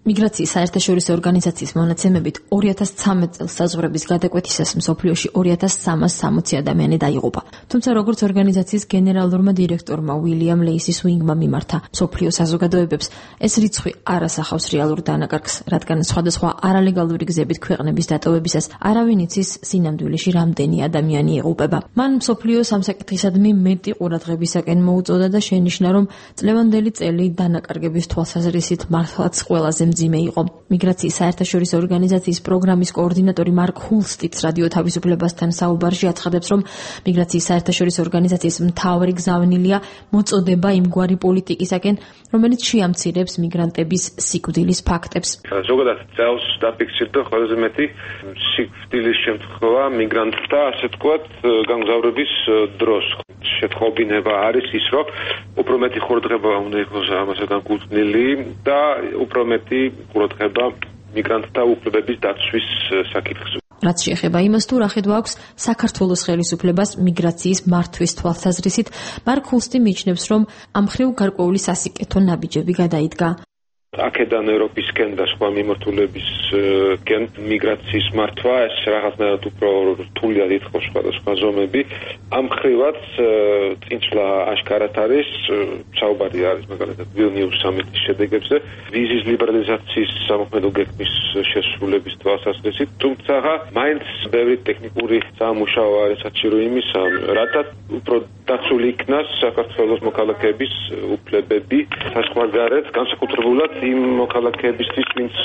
მიგრაციის საერთაშორისო ორგანიზაციის მონაცემებით ორი ათას ცხრამეტ წელს საზღვრების გადაკვეთისას მსოფლიოში ორი ათას სამას სამოცი ადამიანი დაიღუპა. თუმცა როგორც ორგანიზაციის გენერალურმა დირექტორმა უილიამ ლეისის უინგმა მიმართა მსოფლიო საზოგადოებებს, ეს რიცხვი არ ასახავს რეალურ დანაკარგს, რადგან სხვადასხვა არალეგალური გზებით ქვეყნების დატოვებისას არავინ იცის სინამდვილეში რამდენი ადამიანი იღუპება. მან მსოფლიო სამსაკითხისადმი მეტი ყურადღებისაკენ მოუწოდა და შენიშნა, რომ წლევანდელი წელი დანაკარგების თვალსაზრისით მართლაც ყველაზე მძიმე იყო. მიგრაციის საერთაშორისო ორგანიზაციის პროგრამის კოორდინატორი მარკ ჰულსტიც რადიო თავისუფლებასთან საუბარში აცხადებს, რომ მიგრაციის საერთაშორისო ორგანიზაციის მთავარი გზავნილია მოწოდება იმგვარი პოლიტიკისაკენ, რომელიც შეამცირებს მიგრანტების სიკვდილის ფაქტებს. ზოგადად წელს დაფიქსირდა ყველაზე მეტი სიკვდილის შემთხვევა მიგრანტთა, ასე ვთქვათ, გამგზავრების დროს. შეთხობინება არის ის, რომ უფრო მეტი ყურადღება უნდა იყოს ამასთან განკუთვნილი და უფრო მეტი ყურადღება მიგრანტთა უფლებების დაცვის საკითხზე. რაც შეეხება იმას, თუ რა ხედვა აქვს საქართველოს ხელისუფლებას მიგრაციის მართვის თვალსაზრისით, მარკ ჰულსტი მიიჩნევს, რომ ამ მხრივ გარკვეული სასიკეთო ნაბიჯები გადაიდგა. აქედან ევროპისკენ და სხვა მიმართულებისკენ მიგრაციის მართვა ეს რაღაცნაირად უფრო რთულია დიდხოს სხვადასხვა ზომები. ამ მხრივაც წინსვლა აშკარად არის, საუბარი არის მაგალითად ვილნიუს სამიტის შედეგებზე, ვიზის ლიბერალიზაციის სამოქმედო გეგმის შესრულების თვალსაზრისით, თუმცა მაინც ბევრი ტექნიკური სამუშაო არის საჭირო იმისა, რადგან უფრო დაცული იქნას საქართველოს მოქალაქეების უფლებები საზღვარგარეთ, განსაკუთრებულად იმ მოქალაქეებისთვის, ვინც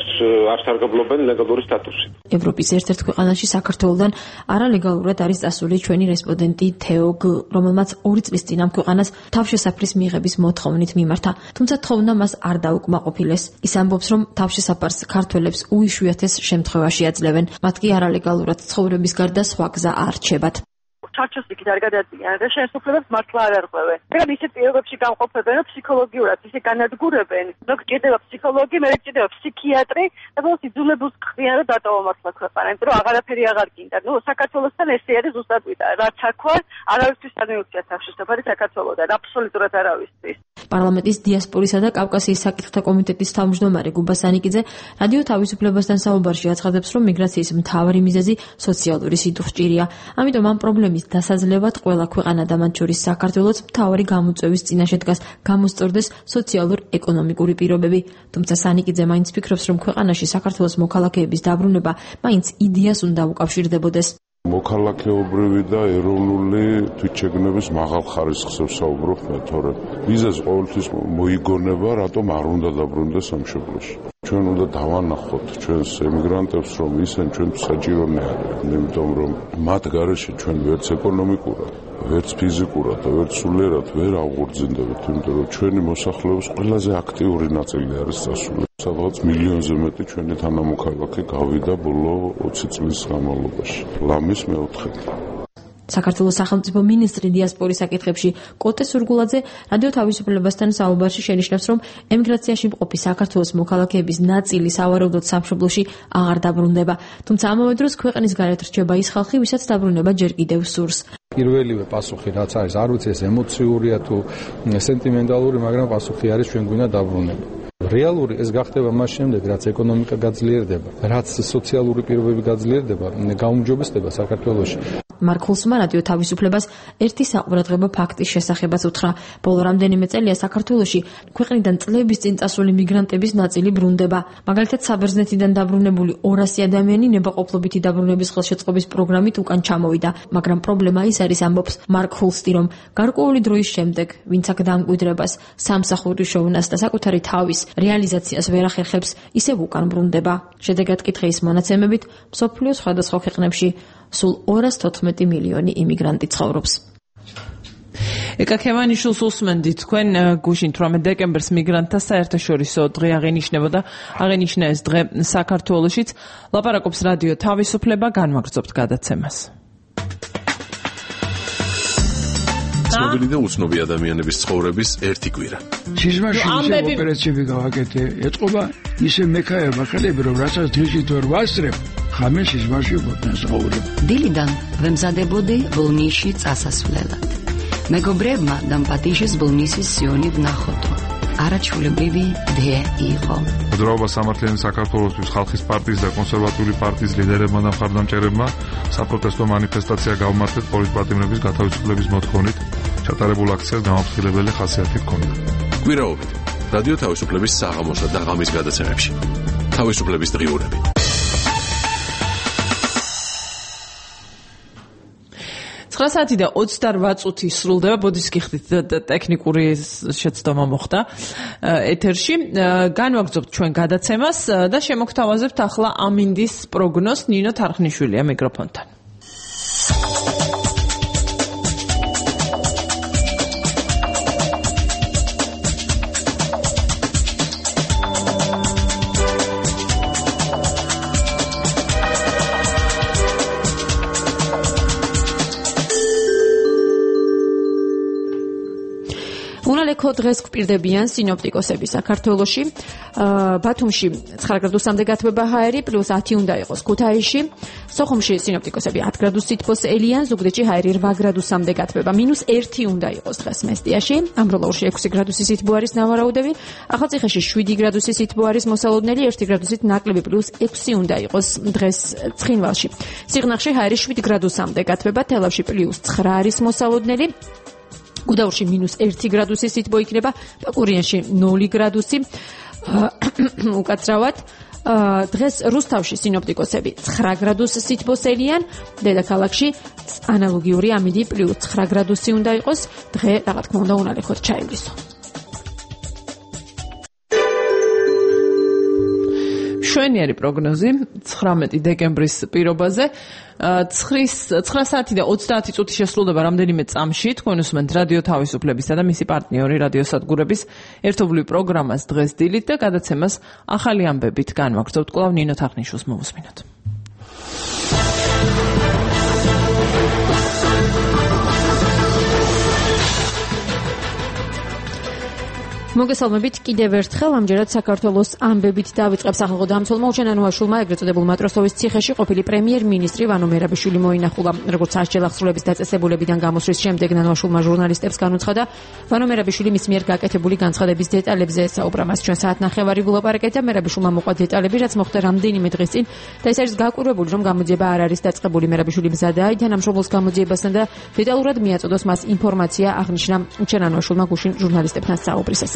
არ სარგებლობენ ლეგალური სტატუსით. ევროპის ერთ-ერთ ქვეყანაში საქართველოსთან არალეგალურად არის წასული ჩვენი რესპონდენტი თეო გ, რომელმაც ორი წლის წინ ამ ქვეყანას თავშესაფრის მიღების მოთხოვნით მიმართა, თუმცა თხოვნა მას არ დაუკმაყოფილეს. ის ამბობს, რომ თავშესაფარს ქართველებს უიშვიათეს შემთხვევაში აძლევენ, მათ კი არალეგალურად ცხოვრების გარდა სხვა გზა არ რჩებათ. ჩარჩოს იქით არ გადაადგიან და შემსრულებლებს მართლა არ არღვევენ. მაგრამ ისეთ პირობებში გამყოფენ, რომ ფსიქოლოგიურად ისე განადგურებენ, რომ გჭირდება ფსიქოლოგი, მე გჭირდება ფსიქიატრი და ბოლოს იძულებულს ხდიან, რომ დატოვა მართლა ქვეყანა, იმიტომ რომ აღარაფერი აღარ გინდა. ნუ საქართველოსთან ესე არის ზუსტად ვიდა, რაც აქვა, არავისთვის არ მიუწია თავშესაფარი საქართველოსთან, აბსოლუტურად არავისთვის. პარლამენტის დიასპორისა და კავკასიის საკითხთა კომიტეტის თავმჯდომარე გუბა სანიკიძე რადიო თავისუფლებასთან საუბარში აცხადებს, რომ მიგრაციის მთავარი მიზეზი სოციალური სიტუხჭირია. ამიტომ ამ პრობლემის დასაძლევად ყველა ქვეყანა და მათ შორის საქართველოს მთავარი გამოწვევის წინაშე დგას გამოსწორდეს სოციალურ-ეკონომიკური პირობები. თუმცა სანიკიძე მაინც ფიქრობს, რომ ქვეყანაში საქართველოს მოქალაქეების დაბრუნება მაინც იდეას უნდა უკავშირდებოდეს. მოქალაქეობრივი და ეროვნული თვითშეგნების მაღალ ხარისხს ვსაუბრობ მე, თორემ ვიზას ყოველთვის მოიგონება, რატომ არ უნდა დაბრუნდეს სამშობლოში. ჩვენ უნდა დავანახოთ ჩვენს ემიგრანტებს, რომ ისინი ჩვენ საჭირონი არიან, იმიტომ რომ მათ გარეშე ჩვენ ვერც ეკონომიკურად, ვერც ფიზიკურად და ვერც სულიერად ვერ აღურძინდებით, იმიტომ რომ ჩვენი მოსახლეობის ყველაზე აქტიური ნაწილი არის წასული. სადღაც მილიონზე მეტი ჩვენი თანამოქალაქე გავიდა ბოლო ოცი წლის განმავლობაში. ლამის მეოთხედი. საქართველოს სახელმწიფო მინისტრი დიასპორის საკითხებში კოტე სურგულაძე რადიო თავისუფლებასთან საუბარში შენიშნავს, რომ ემიგრაციაში მყოფი საქართველოს მოქალაქეების ნაწილი სავარაუდოდ სამშობლოში აღარ დაბრუნდება. თუმცა ამავე დროს ქვეყნის გარეთ რჩება ის ხალხი, ვისაც დაბრუნება ჯერ კიდევ სურს. პირველივე პასუხი რაც არის, არ ვიცი ეს ემოციურია თუ სენტიმენტალური, მაგრამ პასუხი არის ჩვენ გვინდა დაბრუნება. რეალური ეს გახდება მას შემდეგ, რაც ეკონომიკა გაძლიერდება, რაც სოციალური პირობები გაძლიერდება, გაუმჯობესდება საქართველოში. მარკ ჰოლსმა რადიო თავისუფლებას ერთი საყურადღებო ფაქტის შესახებაც უთხრა. ბოლო რამდენიმე წელია საქართველოში ქვეყნიდან წლების წინ წასული მიგრანტების ნაწილი ბრუნდება. მაგალითად, საბერძნეთიდან დაბრუნებული ორასი ადამიანი ნებაყოფლობითი დაბრუნების ხელშეწყობის პროგრამით უკან ჩამოვიდა, მაგრამ პრობლემა ის არის, ამბობს მარკ ჰოლსტი, რომ გარკვეული დროის შემდეგ, ვინც აქ დამკვიდრებას, სამსახურის შოვნას და საკუთარი თავის რეალიზაციას ვერ ახერხებს, ისევ უკან ბრუნდება. შედეგად კითხვის მონაცემებით, მსოფლიოს სხვადასხვა ქვეყნებში სულ ორას თოთხმეტი მილიონი იმიგრანტი ცხოვრობს. ეკა ქევანიშვილს უსმენდით თქვენ გუშინ თვრამეტ დეკემბერს მიგრანტთა საერთაშორისო დღე აღენიშნებოდა, აღენიშნა ეს დღე საქართველოშიც. ლაპარაკობს რადიო თავისუფლება, განვაგრძობთ გადაცემას. ცნობილი და უცნობი ადამიანების ცხოვრების ერთი კვირა. სიზმარში ისე ოპერაციები გავაკეთე, ეთყობა ისე მექაება ხელები, რომ რასაც დღისით ვერ ვასწრებ, ხამე სიზმარში ვფოთნასაურებ. დილიდან ვემზადებოდი ბოლნისში წასასვლელად. მეგობრებმა დამპატიჟეს ბოლნისის სიონი ვნახოთ. არაჩვეულებრივი დღე იყო. მოძრაობა სამართლიანი საქართველოსთვის ხალხის პარტიის და კონსერვატიული პარტიის ლიდერებმა და მხარდამჭერებმა საპროტესტო მანიფესტაცია გავმართეთ პოლიტპატიმრების გათავისუფლების მოთხოვნით. ჩატარებულ აქციას გამაფრთხილებელი ხასიათი ჰქონდა. კვირაობით რადიო თავისუფლების საღამოსა და ღამის გადაცემებში. თავისუფლების დღიურები. ცხრა საათი და ოცდარვაც წუთი სრულდება, ბოდიშ გიხდით ტექნიკური შეცდომა მოხდა ეთერში. განვაგრძობთ ჩვენ გადაცემას და შემოგთავაზებთ ახლა ამინდის პროგნოზს. ნინო თარხნიშვილია მიკროფონთან. უნალექო დღეს გვპირდებიან სინოპტიკოსები საქართველოში. ბათუმში ცხრა გრადუსამდე გათბება ჰაერი, პლუს ათი უნდა იყოს ქუთაისში. სოხუმში სინოპტიკოსები ათ გრადუს სითბოს ელიან, ზუგდიდში ჰაერი რვა გრადუსამდე გათბება, მინუს ერთი უნდა იყოს დღეს მესტიაში. ამბროლაურში ექვსი გრადუსი სითბო არის ნავარაუდები, ახალციხეში შვიდი გრადუსი სითბო არის მოსალოდნელი, ერთი გრადუსით ნაკლები, პლუს ექვსი უნდა იყოს დღეს ცხინვალში. სიღნაღში ჰაერი შვიდ გრადუსამდე გათბება, თელავში პლუს ცხრა არის მოსალოდნელი. გუდაურში მინუს ერთი გრადუსი სითბო იქნება, პაკურიანში ნული გრადუსი. უკაცრავად დღეს რუსთავში სინოპტიკოსები ცხრა გრადუს სითბოს ელიან, დედაქალაქში ანალოგიური ამინდი პლუს ცხრა გრადუსი უნდა იყოს. დღე, რა თქმა უნდა, უნალექოდ ჩაივლისო. მშვენიერი პროგნოზი ცხრამეტი დეკემბრის პირობაზე. ცხრა საათი და ოცდაათი წუთი შესრულდება რამდენიმე წამში. თქვენ უსმენთ რადიო თავისუფლებისა და მისი პარტნიორი რადიო სადგურების ერთობლივ პროგრამას დღეს დილით და გადაცემას ახალი ამბებით განვაგრძობთ. კვლავ ნინო თახნიშვილს მოვუსმინოთ. მოგესალმებით კიდევ ერთხელ ამჯერად საქართველოს ამბებით დავიწყებ სახალხო დამცველმა უჩენანუაშვილმა ეგრეთ წოდებულ მატროსოვის ციხეში ყოფილი პრემიერ-მინისტრი ვანო მერაბიშვილი მოინახულა. როგორც სასჯელ აღსრულების დაწესებულებიდან გამოსვლის შემდეგ ნანუაშვილმა ჟურნალისტებს განუცხადა, ვანო მერაბიშვილი მის მიერ გაკეთებული განცხადების დეტალებზე ესაუბრა. მას ჩვენ საათნახევარი ვილაპარაკეთ და მერაბიშვილმა მოყვა დეტალები, რაც მოხდა რამდენიმე დღის წინ და ეს არის გაკვირვებული, რომ გამოძიება არ არის დაწყებული. მერაბიშვილი მზადაა თანამშრომლობს გამოძიებასთან და დეტალურად მიაწოდოს მას ინფორმაცია, აღნიშნა უჩენანუაშვილმა გუშინ ჟურნალისტებთან საუბრისას.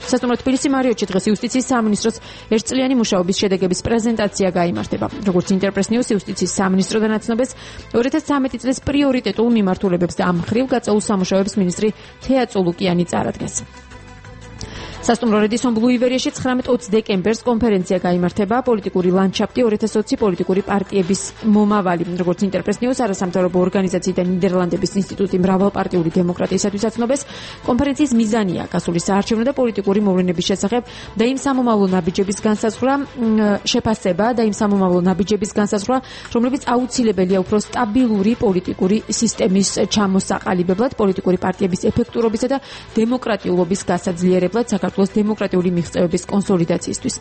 სასტუმრო თბილისი მარიოტში დღეს იუსტიციის სამინისტროს ერთწლიანი მუშაობის შედეგების პრეზენტაცია გაიმართება. როგორც ინტერპრეს ნიუს იუსტიციის სამინისტროდან აცნობეს, ორი ათას ცხრამეტი წლის პრიორიტეტულ მიმართულებებს და ამ მხრივ გაწეულ სამუშაოებს მინისტრი თეა წულუკიანი წარადგენს. სასტუმრო რედისონ ბლუ ივერიაში ცხრამეტი ოცი დეკემბერს კონფერენცია გაიმართება პოლიტიკური ლანდშაფტი ორი ათას ოცი პოლიტიკური პარტიების მომავალი. როგორც ინტერპრეს ნიუს არასამთავრობო ორგანიზაცია და ნიდერლანდების ინსტიტუტი მრავალპარტიული დემოკრატიისათვის აცნობს, კონფერენციის მიზანია გასული საარჩევნო და პოლიტიკური მოვლენების შესახებ და იმ სამომავლო ნაბიჯების განსაზღვრა, შეფასება და იმ სამომავლო ნაბიჯების განსაზღვრა, რომლებიც აუცილებელია უფრო სტაბილური პოლიტიკური სისტემის ჩამოსაყალიბებლად, პოლიტიკური პარტიების ეფექტურობისა და დემოკრატიულობის გასაძლიერებლად საქართველოს დემოკრატიული მიღწევების კონსოლიდაციისთვის.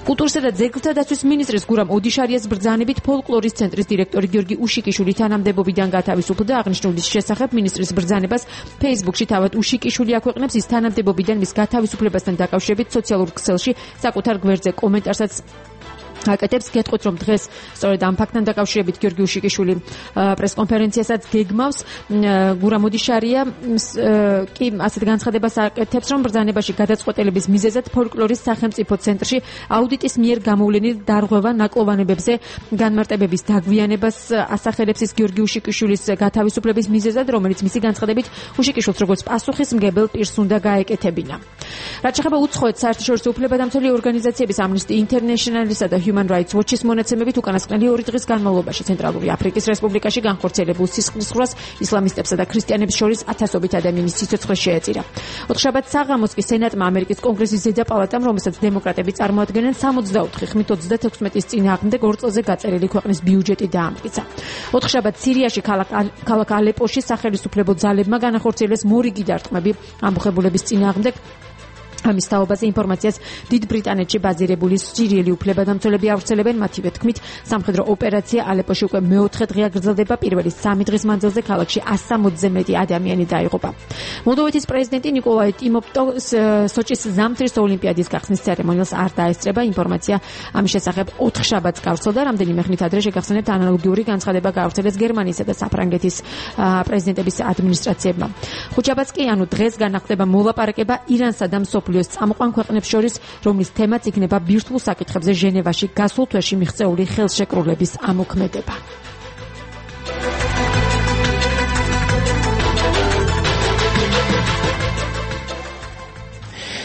კულტურისა და ძეგლთა დაცვის მინისტრის გურამ ოდიშარიას ბრძანებით ფოლკლორის ცენტრის დირექტორი გიორგი უშიკიშვილი თანამდებობიდან გათავისუფლდა. აღნიშნულის შესახებ მინისტრის ბრძანებას Facebook-ში თავად უშიკიშვილი აქვეყნებს. ის თანამდებობიდან მის გათავისუფლებასთან დაკავშირებით სოციალურ ქსელში საკუთარ გვერდზე კომენტარსაც აკეთებს. გეტყვით, რომ დღეს სწორედ ამ ფაქტთან დაკავშირებით გიორგი უშიკიშვილი პრესკონფერენციასაც გეგმავს. გურამ ოდიშარია კი ასეთ განცხადებას აკეთებს, რომ ბრძანებაში გადაწყვეტილების მიზეზად ფოლკლორის სახელმწიფო ცენტრში აუდიტის მიერ გამოვლენილ დარღვევა ნაკლოვანებებზე განმარტებების დაგვიანებას ასახელებს. ის გიორგი უშიკიშვილის გათავისუფლების მიზეზად, რომელიც მისი განცხადებით უშიკიშვილს როგორც პასუხისმგებელ პირს უნდა გაეკეთებინა. რაც შეეხება უცხოეთ საერთაშორისო უფლებადამცველი ორგანიზაციების Amnesty International-ისა და Human Rights Watch-ის მონაცემებით უკანასკნელი ორი დღის განმავლობაში ცენტრალური აფრიკის რესპუბლიკაში განხორციელებულ სისხლისღვრას ისლამისტებსა და ქრისტიანებს შორის ათასობით ადამიანის სიცოცხლე შეეწირა. ოთხშაბათ საღამოს კი სენატმა ამერიკის კონგრესის ზედა პალატამ, რომელსაც დემოკრატები წარმოადგენენ, სამოცდაოთხი ხმით ოცდათექვსმეტის წინააღმდეგ ორ წელზე გაწერილი ქვეყნის ბიუჯეტი დაამტკიცა. ოთხშაბათ სირიაში ქალაქ ალეპოში სახელისუფლებო ძალებმა განახორციელეს მორიგი დარტყმები ამბოხებულების წინააღმდეგ. ამის თაობაზე ინფორმაციას დიდ ბრიტანეთში ბაზირებული სირიელი უფლებადამცველები ავრცელებენ. მათივე თქმით, სამხედრო ოპერაცია ალეპოში უკვე მეოთხე დღეა გრძელდება. პირველი სამი დღის მანძილზე ქალაქში ასი სამოცზე მეტი ადამიანი დაიღუპა. მოლდოვეთის პრეზიდენტი ნიკოლაი ტიმოფტოს სოჭის ზამთრის ოლიმპიადის გახსნის ცერემონიალს არ დაესწრება. ინფორმაცია ამის შესახებ ოთხშაბათს გავრცელდა. რამდენიმე ხნით ადრე შეგახსენებთ, ანალოგიური განცხადება გავრცელეს გერმანიისა და საფრანგეთის პრეზიდენტების ადმინისტრაციებმა. ხუთშაბათს კი, ანუ დღეს განახდება მოლაპარაკება ირანსა და მსოფლიოს წამყვან ქვეყნებს შორის, რომლის თემაც იქნება ბირთვულ საკითხებზე ჟენევაში გასულ თვეში მიღწეული ხელშეკრულების ამოქმედება.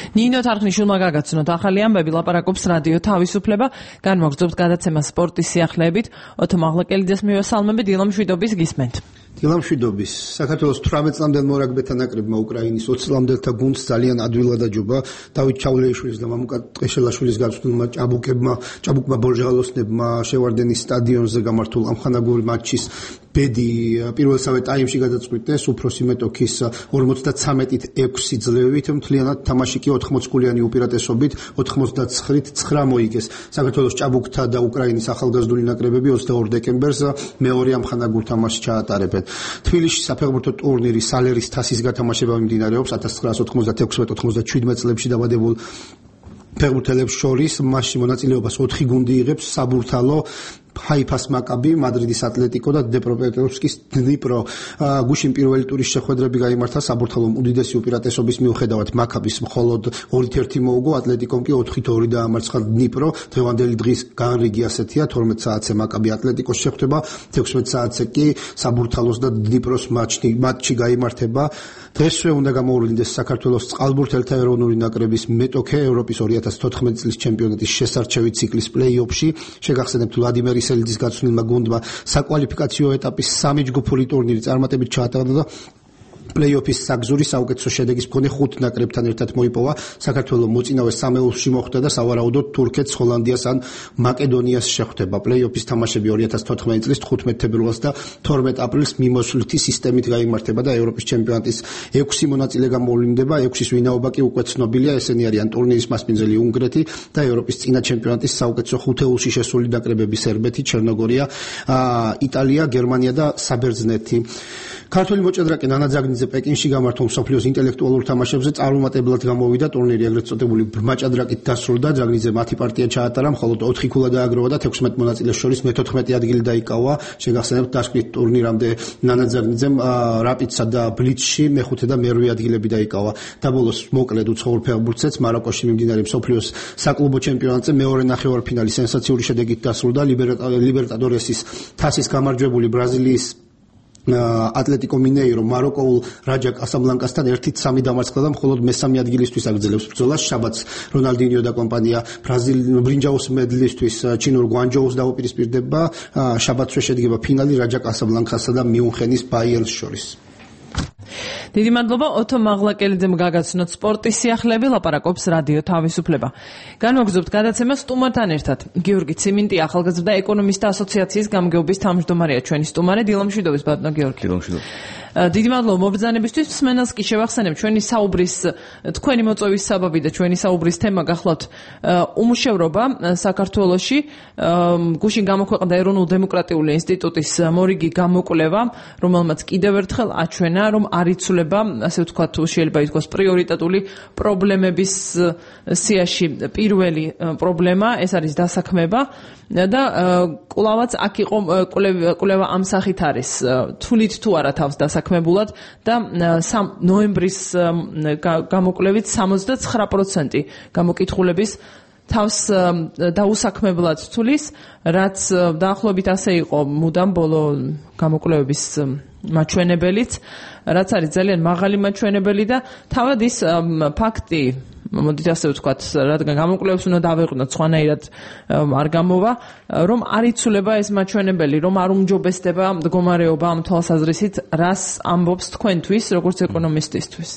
ნინო თარხნიშვილმა გაგაცნოთ ახალი ამბები, ლაპარაკობს რადიო თავისუფლება. განვაგრძობთ გადაცემა სპორტის სიახლეებით. ოთო მაღლაკელიძეს მივესალმებით, დილამ შვიდობის გისმენთ. დილამ შვიდობის. საქართველოს თვრამეტ წლამდელ მორაგბეთა ნაკრებმა უკრაინის ოცი წლამდელთა გუნდს ძალიან ადვილად აჯობა. დავით ჩავლეიშვილის და მამუკა ტყეშელაშვილის გაწვრთნილმა ჭაბუკებმა, ჭაბუკმა ბორჟალოსნებმა შევარდენის სტადიონზე გამართულ ამხანაგური მატჩის ბედი პირველ სამე ტაიმში გადაწყვიტეს უფროსი მეტოქის ორმოცდაცამეტით ექვსი ძლევით. მთლიანად თამაში კი ოთხმოცგულიანი უპირატესობით ოთხმოცდაცხრით ცხრა მოიგეს. საქართველოს ჭაბუკთა და უკრაინის ახალგაზრდული ნაკრებები ოცდაორ დეკემბერს მეორე ამხანაგურ თამაშს ჩაატარებენ. თბილისში საფეხბურთო ტურნირი სალერის თასის გათამაშება მიმდინარეობს ათას ცხრაასი ოთხმოცდათექვსმეტ ოთხმოცდაჩვიდმეტ წლებში დაბადებულ ფეხბურთელებს შორის. მასში მონაწილეობას ოთხი გუნდი იღებს: საბურთალო, ჰაიფას მაკაბი, მადრიდის ატლეტიკო და დნეპროპეტროვსკის დნიპრო. გუშინ პირველი ტურის შეხვედრები გაიმართა საბურთალომ უდიდესი უპირატესობის მიუხედავად მაკაბის მხოლოდ ორი ერთი მოუგო, ატლეტიკომ კი ოთხი ორი დაამარცხა დნიპრო. დღევანდელი დღის განრიგი ასეთია, თორმეტ საათზე მაკაბი ატლეტიკოს შეხვდება, თექვსმეტ საათზე კი საბურთალოს და დნიპროს მატჩი მატჩი გაიმართება. დღესვე უნდა გამოუვლინდეს საქართველოს წყალბურთელთა ეროვნული ნაკრების მეტოქე ევროპის ორი ათას თოთხმეტი წლის ჩემპიონატის შესარჩევი ციკლის პლეი-ოფში. შეგახსენებთ ვლადიმერ ისელიძის გაცვლილმა გუნდმა საკვალიფიკაციო ეტაპის სამი ჯგუფური ტურნირი წარმატებით ჩაატარა და პლეი-ოფის საგზური საუკეთესო შედეგის მქონე ხუთ ნაკრებთან ერთად მოიპოვა. საქართველოს მოწინავე სამეულში მოხვდა და სავარაუდოდ თურქეთს, ჰოლანდიას ან მაკედონიას შეხვდება. პლეი-ოფის თამაშები ორი ათას თოთხმეტი წლის თხუთმეტ ფებრუარს და თორმეტ აპრილს მიმოშლითი სისტემით გაიმართება და ევროპის ჩემპიონატის ექვსი მონაწილე გამოვლინდება. ექვსის ვინაობა კი უკვე ცნობილია, ესენი არიან ტურნირის მასპინძელი უნგრეთი და ევროპის წინა ჩემპიონატის საუკეთესო ხუთეულში შესული ნაკრებები სერბეთი, ჩერნოგორია, იტალია, გერმანია და საბერძნეთი. ქართული მოჭადრაკე ნანა ძაგნიძე პეკინში გამართულ მსოფლიოს ინტელექტუალურ თამაშებზე წარუმატებლად გამოვიდა. ტურნირი ეგრეთ წოდებული ბრმა ჭადრაკით დასრულდა. ძაგნიძე მათი პარტია ჩაატარა, მხოლოდ ოთხი ქულა დააგროვა და თექვსმეტ მონაწილეს შორის მეთოთხმეტი ადგილი დაიკავა. შეგახსენებთ, დასკვნით ტურნირამდე ნანა ძაგნიძემ რაპიდსა და ბლიცში მეხუთე და მერვე ადგილები დაიკავა. და ბოლოს მოკლედ უცხოურ ფეხბურთსაც მაროკოში მიმდინარე მსოფლიოს საკლუბო ჩემპიონატზე მეორე ნახევარფინალი სენსაციური შედეგით დასრულდა. ლიბერტადორესის თასის გამარჯვებული ბრაზილიის ატლეტიკო მინეირო მაროკოულ რაჯა კასაბლანკასთან ერთი სამი დამარცხდა და მხოლოდ მესამე ადგილისთვის აგრძელებს ბრძოლას. შაბათს რონალდინიო და კომპანია ბრაზილ ბრინჯაოს მედლისთვის ჩინურ გვანჯოუს დაუპირისპირდება. შაბათსვე შედგება ფინალი რაჯა კასაბლანკასა და მიუნხენის ბაიერნს შორის. დიდი მადლობა ოთო მაღლაკელიძემ გაგაცნოთ სპორტის სიახლეები, ლაპარაკობს რადიო თავისუფლება. განვაგრძობთ გადაცემას სტუმართან ერთად. გიორგი ციმინტი, ახალგაზრდა ეკონომისტთა ასოციაციის გამგეობის თავმჯდომარეა ჩვენი სტუმარი. დილამშვიდობის ბატონო გიორგი. დილამშვიდობა. დიდი მადლობა მობრძანებისთვის. მსმენელს კი შევახსენებ ჩვენი საუბრის თქვენი მოწვევის საბაბი და ჩვენი საუბრის თემა გახლავთ უმუშევრობა საქართველოში. გუშინ გამოქვეყნდა ეროვნულ დემოკრატიული ინსტიტუტის მორიგი გამოკვლევა, რომელმაც კიდევ ერთხელ აჩვენა, რომ არ იცვლება, ასე ვთქვათ, შეიძლება ითქვას პრიორიტეტული პრობლემების სიაში პირველი პრობლემა, ეს არის დასაქმება და კვლავაც აქ იყო კვლევა ამ სახით არის, თვლით თუ არა თავს დასაქმებულად და ნოემბრის გამოკვლევით სამოცდაცხრა პროცენტი გამოკითხულების თავს დაუსაქმებლად თulis, რაც დაახლოებით ასე იყო მუდამ ბოლო გამოკვლევების მაჩვენებელიც, რაც არის ძალიან მაღალი მაჩვენებელი და თავად ის ფაქტი, მოდით ასე ვთქვათ, რადგან გამოკვლევებს უნდა დავეყვნოთ, სხვანაირად არ გამოვა, რომ არ იცვლება ეს მაჩვენებელი, რომ არ უმჯობესდება მდგომარეობა ამ თვალსაზრისით, რას ამბობს თქვენთვის, როგორც ეკონომისტისთვის?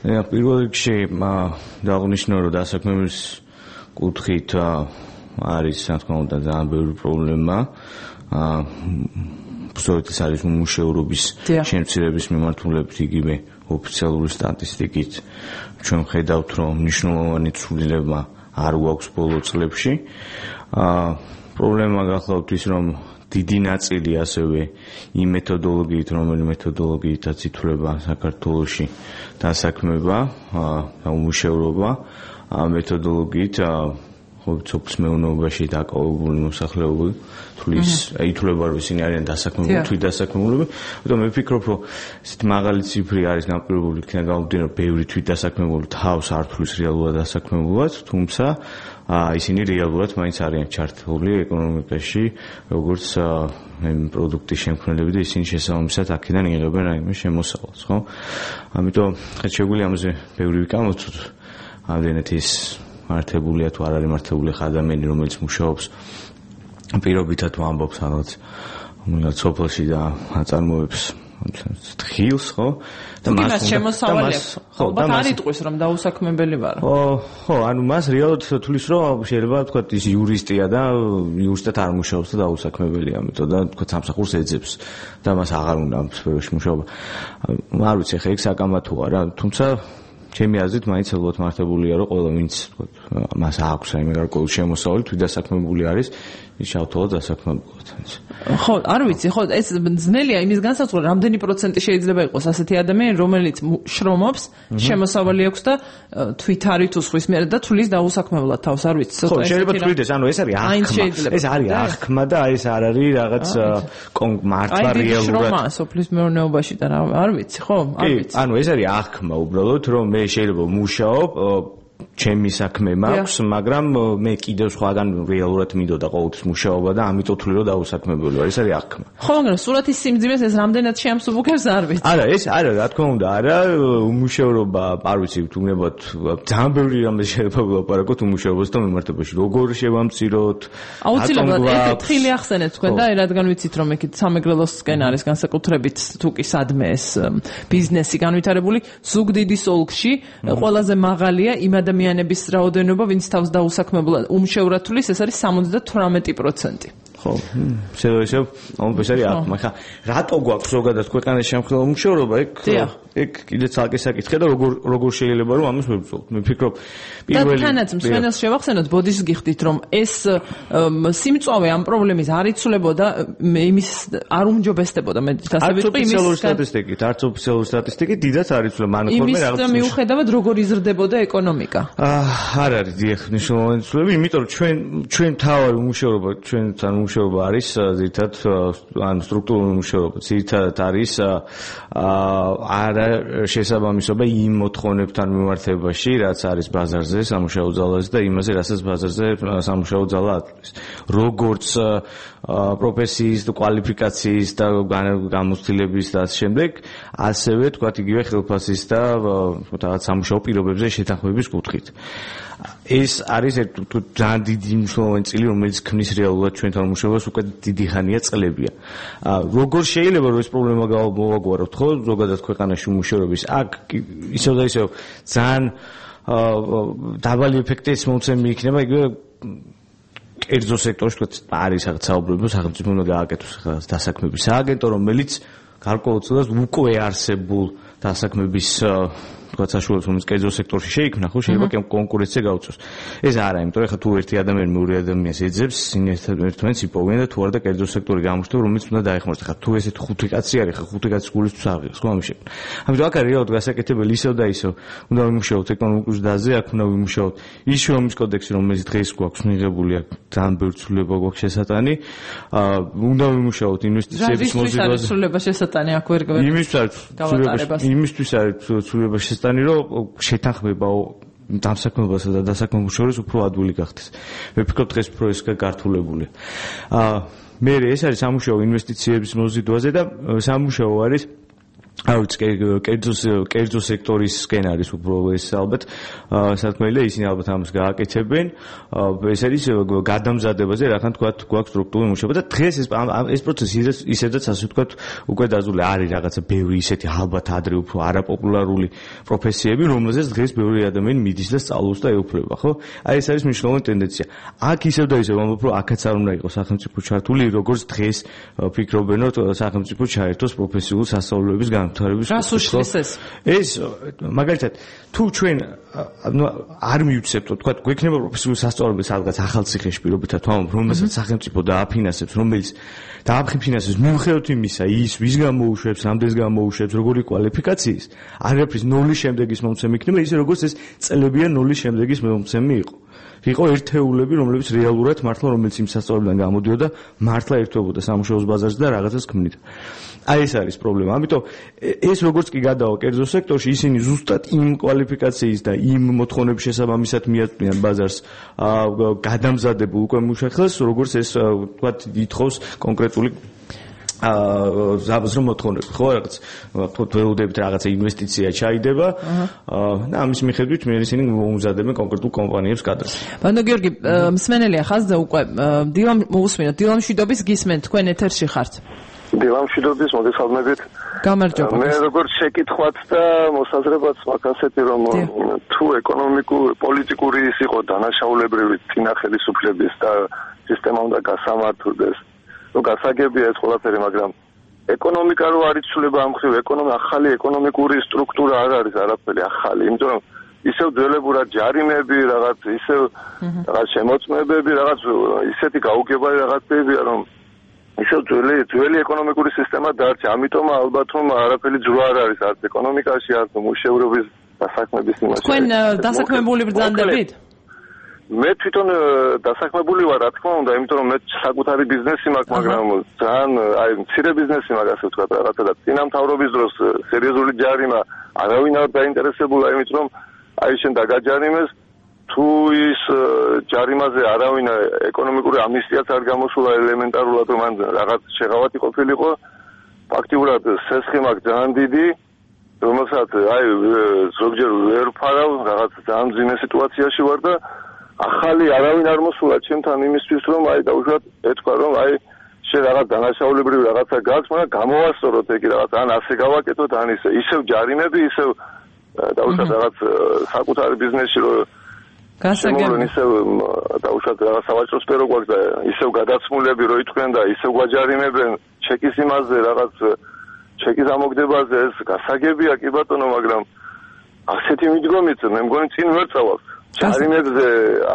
პირველ რიგში დააღნიშნო, რომ დასაქმების კუთხით არის, რა თქმა უნდა, ძალიან ბევრი პრობლემა. სწორედ ეს არის უმუშევრობის შემცირების მიმართულებით იგივე ოფიციალური სტატისტიკით ჩვენ ხედავთ, რომ მნიშვნელოვანი ცვლილება არ გვაქვს ბოლო წლებში. პრობლემა გახლავთ ის, რომ დიდი ნაწილი ასევე იმ მეთოდოლოგიით, რომელი მეთოდოლოგიითაც ითვლება საქართველოში დასაქმება და უმუშევრობა, ამ მეთოდოლოგიით სოფლის მეურნეობაში დაკავებული მოსახლეობა თulis ითვლება, რომ ისინი არიან დასაქმებული, თვით დასაქმებულები. ამიტომ მე ვფიქრობ, რომ ესეთი მაღალი ციფრი არის განპირობებული იქნა გამომდინარე, რომ ბევრი თვით დასაქმებული თავს არ თulis რეალურად დასაქმებულად, თუმცა ისინი რეალურად მაინც არიან ჩართული ეკონომიკაში, როგორც პროდუქტის შემქმნელები და ისინი შესაბამისად აქედან იღებენ რაიმე შემოსავალს, ხო? ამიტომ შეგვიძლია ამაზე ბევრი ვიკამოთ, ამდენად ის მართებულია თუ არ არის მართებული ხა ადამიანი, რომელიც მუშაობს პირობითად ვამბობს რაღაც სოფელში და აწარმოებს თხილს, ხო? და მას შემოსავალი აქვს. ხო, და არ იტყვის, რომ დაუსაქმებელი ვარ. ხო, ხო, ანუ მას რეალურად თulis, რომ შეიძლება თქვა ის იურისტია და იურისტად არ მუშაობს და დაუსაქმებელია, ამიტომ და თქვა სამსახურს ეძებს და მას აღარ უნდა ამ სფეროში მუშაობა. არ ვიცი, ხა იქ საკამათოა რა, თუმცა ჩემი აზრით მაინც ალბათ მართებულია, რომ ყველა ვინც თქვა მას აქვს რაიმე გარკვეული შემოსავალი, თვით დასაქმებული არის, ის ჩავთვალოთ დასაქმებულად. ხო, არ ვიცი, ხო, ეს ძნელია იმის განსაზღვრა, რამდენი პროცენტი შეიძლება იყოს ასეთი ადამიანი, რომელიც შრომობს, შემოსავალი აქვს და თვითარი თუ სხვის მიერ და თulis დაუსაქმებლად თავს, არ ვიცი, ცოტა. ხო, შეიძლება თulides, ანუ ეს არის აღქმა. ეს არის აღქმა და ეს არ არის რაღაც მართლა რეალურად. შრომა სოფლის მეურნეობაში და არ ვიცი, ხო, არ ვიცი. ანუ ეს არის აღქმა უბრალოდ, რომ მე შეიძლება მუშაობ ჩემი საქმე მაქვს, მაგრამ მე კიდევ სხვაგან რეალურად მინდოდა ყოველთვის მუშაობა და ამიტომ თვლი რომ დაუსაქმებელი ვარ. ეს არის აღქმა. ხო, მაგრამ სურათის სიმძიმეს ეს რამდენად შეამსუბუქებს არ ვიცი. არა, ეს არა, რა თქმა უნდა, არა, უმუშევრობა, არ ვიცი, თუნდაც ძალიან ბევრი რამე შეიძლება ვილაპარაკოთ უმუშევრობასთან მიმართებაში. როგორ შევამციროთ? აუცილებლად ეს თხილი ახსენეთ თქვენ და რადგან ვიცით რომ ეკით სამეგრელოსკენ არის განსაკუთრებით თუ კი სადმე ეს ბიზნესი განვითარებული, ზუგდიდის ოლქში ყველაზე მაღალია იმ ადამიანების რაოდენობა, ვინც თავს დაუსაქმებლად უმშევრად თulis, ეს არის სამოცდათვრამეტი პროცენტი. ხო, შეიძლება ისე, ანუ ეს არის აღქმა. ხა, რატო გვაქვს ზოგადად ქვეყანაში შემხნელო უმშევრობა? ეგ ეგ კიდე ცალკე საკითხია და როგორ როგორ შეიძლება რომ ამას ვებრძოლოთ. მე ვფიქრობ, პირველი და თანაც მსმენელს შევახსენოთ, ბოდიშს გიხდით, რომ ეს სიმწვავე ამ პრობლემის არ იცვლებოდა, იმის არ უმჯობესდებოდა მედიკასებით, იმის ოფიციალური სტატისტიკით, არც ოფიციალური სტატისტიკით დიდად არ იცვლება, ანუ ხოლმე რაღაც იმის მიუხედავად როგორ იზრდებოდა ეკონომიკა. არ არის დიახ, მნიშვნელოვანი ცვლილება, იმიტომ რომ ჩვენ ჩვენ თავი უმუშევრობა, ჩვენთან უმუშევრობა არის ზირთად ან სტრუქტურული უმუშევრობა, ზირთად არის არა შესაბამისობა იმ მოთხოვნებთან მიმართებაში, რაც არის ბაზარზე, სამუშაო ძალაზე და იმაზე, რასაც ბაზარზე სამუშაო ძალა ატვლის. როგორც პროფესიის და კვალიფიკაციის და გამოცდილების და ამ შემდეგ, ასევე თქვათ იგივე ხელფასის და რაღაც სამუშაო პირობებზე შეთანხმების კუთხით. ეს არის ძალიან დიდი მნიშვნელოვანი წილი, რომელიც ქმნის რეალურად ჩვენთან მუშაობას უკვე დიდი ხანია წლებია. როგორ შეიძლება რომ ეს პრობლემა გავმოვაგვაროთ, ხო, ზოგადად ქვეყანაში მუშაობის, აქ ისევ და ისევ ძალიან დაბალი ეფექტის მომცემი იქნება, იგივე კერძო სექტორში თქვა არის რაღაც საუბრობო სახელმწიფო უნდა გააკეთოს დასაქმების სააგენტო, რომელიც გარკვეულწილად უკვე არსებულ დასაქმების თქვა საშუალებას რომელიც კერძო სექტორში შეიქმნა, ხო, შეიძლება კონკურენცია გაუწიოს. ეს არა, იმიტომ რომ ხა თუ ერთი ადამიანი მეორე ადამიანს ეძებს, ერთმანეთს იპოვიან და თუ არა და კერძო სექტორი გამოჩნდება, რომელიც უნდა დაეხმაროს. ხა თუ ესეთ ხუთი კაცი არის, ხა ხუთი კაცის გულისთვის აღიღოს, ხო, ამის შექმნა. ამიტომ აქ არის რეალურად გასაკეთებელი ისევ და ისევ. უნდა ვიმუშაოთ ეკონომიკურ ზრდაზე, აქ უნდა ვიმუშაოთ ის შრომის კოდექსი, რომელიც დღეს გვაქვს მიღებული, აქ ძალიან ბევრი ცვლილება გვაქვს შესატანი. უნდა ვიმუშაოთ ინვესტიციების მოზიდვაზე. ცვლილება შესატანი აქ ვერ გავაკეთებ. იმისთვის არის ცვლილება შესატანი, რომ შეთანხმება დამსაქმებასა და დასაქმებულ შორის უფრო ადვილი გახდეს. მე ვფიქრობ დღეს უფრო ეს გართულებულია. აა მე ეს არის სამუშაო ინვესტიციების მოზიდვაზე და სამუშაო არის აუც კერძო კერძო სექტორისკენ არის უფრო ეს ალბათ საქმეა, ისინი ალბათ ამას გააკეთებენ. ეს არის გადამზადებაზე, რახან თქვა გვაქვს სტრუქტურული მუშაობა და დღეს ეს ეს პროცესი ისედაც ასე თქვა უკვე დაზული არის რაღაცა ბევრი ისეთი ალბათ ადრე უფრო არაპოპულარული პროფესიები, რომელზეც დღეს ბევრი ადამიანი მიდის და სწავლობს და ეუფლება, ხო? აი ეს არის მნიშვნელოვანი ტენდენცია. აქ ისევ და ისევ ამბობ, რომ აქაც არ უნდა იყოს სახელმწიფო ჩართული, როგორც დღეს ფიქრობენ, რომ სახელმწიფო ჩაერთოს პროფესიულ სასწავლებლის რას უშლის ეს? ეს მაგალითად თუ ჩვენ არ მივცებთ, თქვა გვექნება პროფესიული სასწავლებელი სადღაც ახალციხეში პირობითად ვამბობ, რომელსაც სახელმწიფო დააფინანსებს, რომელიც დააფინანსებს მიუხედავად იმისა, ის ვის გამოუშვებს, რამდენს გამოუშვებს, როგორი კვალიფიკაციის, არაფრის ნულის შემდეგის მომცემი იქნება, ისე როგორც ეს წლებია ნულის შემდეგის მომცემი იყო. იყო ერთეულები, რომლებიც რეალურად მართლა რომელიც იმ სასწავლებელიდან გამოდიოდა, მართლა ერთვებოდა სამუშაოს ბაზარზე და რაღაცას ქმნიდა. აი ეს არის პრობლემა. ამიტომ ეს როგორც კი გადავა კერძო სექტორში, ისინი ზუსტად იმ კვალიფიკაციის და იმ მოთხოვნების შესაბამისად მიაწვდიან ბაზარს გადამზადებულ უკვე მუშახელს, როგორც ეს თქვა ითხოვს კონკრეტული აა ზაბაზრო მოთხოვნები, ხო, რაღაც თქვა ველოდებით რაღაცა ინვესტიცია ჩაიდება და ამის მიხედვით მე ისინი მოუმზადებენ კონკრეტულ კომპანიებს კადრს. ბანო გიორგი, მსმენელია ხაზზე უკვე დილამ მოусმინოთ, დილამშვიდობის გისმენთ, თქვენ ეთერში ხართ. დილამშვიდობის მოგესალმებით. გამარჯობა. მე როგორც შეკითხვათ და მოსაზრებაც მაქვს ასეთი, რომ თუ ეკონომიკური, პოლიტიკური ის იყო დანაშაულებრივი წინა ხელისუფლების და სისტემა უნდა გასამართლდეს. ну გასაგებია ეს ყველაფერი, მაგრამ ეკონომიკა რო არ იცვლება ამ ხრივ, ეკონომიკა ახალი ეკონომიკური სტრუქტურა არ არის არაფერი ახალი, იმიტომ რომ ისევ ძველებურად ჯარიმები, რაღაც ისევ რაღაც შემოწმებები, რაღაც ისეთი გაუგებარი რაღაცებია, რომ ისევ ძველი ძველი ეკონომიკური სისტემა დარჩა. ამიტომ ალბათ რომ არაფერი ძრო არ არის არც ეკონომიკაში, არც მუშევრობის დასაქმების იმაში. თქვენ დასაქმებული ბრძანდებით? მე თვითონ დასაქმებული ვარ, რა თქმა უნდა, იმიტომ რომ მე საკუთარი ბიზნესი მაქვს, მაგრამ ძალიან აი მცირე ბიზნესი მაქვს, ასე ვთქვათ, რაღაცა და წინამთავრობის დროს სერიოზული ჯარიმა არავინ არ დაინტერესებულა, იმით რომ აი შენ დაგაჯარიმეს, თუ ის ჯარიმაზე არავინ ეკონომიკური ამნისტიაც არ გამოსულა ელემენტარულად, რომ მან რაღაც შეღავათი ყოფილიყო, ფაქტიურად სესხი მაქვს ძალიან დიდი, რომელსაც აი ზოგჯერ ვერ ვფარავ, რაღაც ძალიან მძიმე სიტუაციაში ვარ და ახალი არავინ არ მოსულა ჩემთან იმისთვის რომ აი დაუშვათ ეთქვა რომ აი შე რაღაც დანაშაულებრივი რაღაცა გაქვს, მაგრამ გამოვასწოროთ ეგ რაღაც ან ასე გავაკეთოთ ან ისე ისევ ჯარიმები, ისევ დაუშვათ რაღაც საკუთარი ბიზნესში რომ გასაგებია ისევ დაუშვათ რაღაც სავაჭრო სფერო გვაქვს და ისევ გადაცმულები რო ითქვენ და ისევ გვაჯარიმებენ ჩეკის იმაზე რაღაც ჩეკის ამოგდებაზე ეს გასაგებია კი ბატონო, მაგრამ ასეთი მიდგომით მე მგონი წინ ვერ წავალ. ჯარიმებზე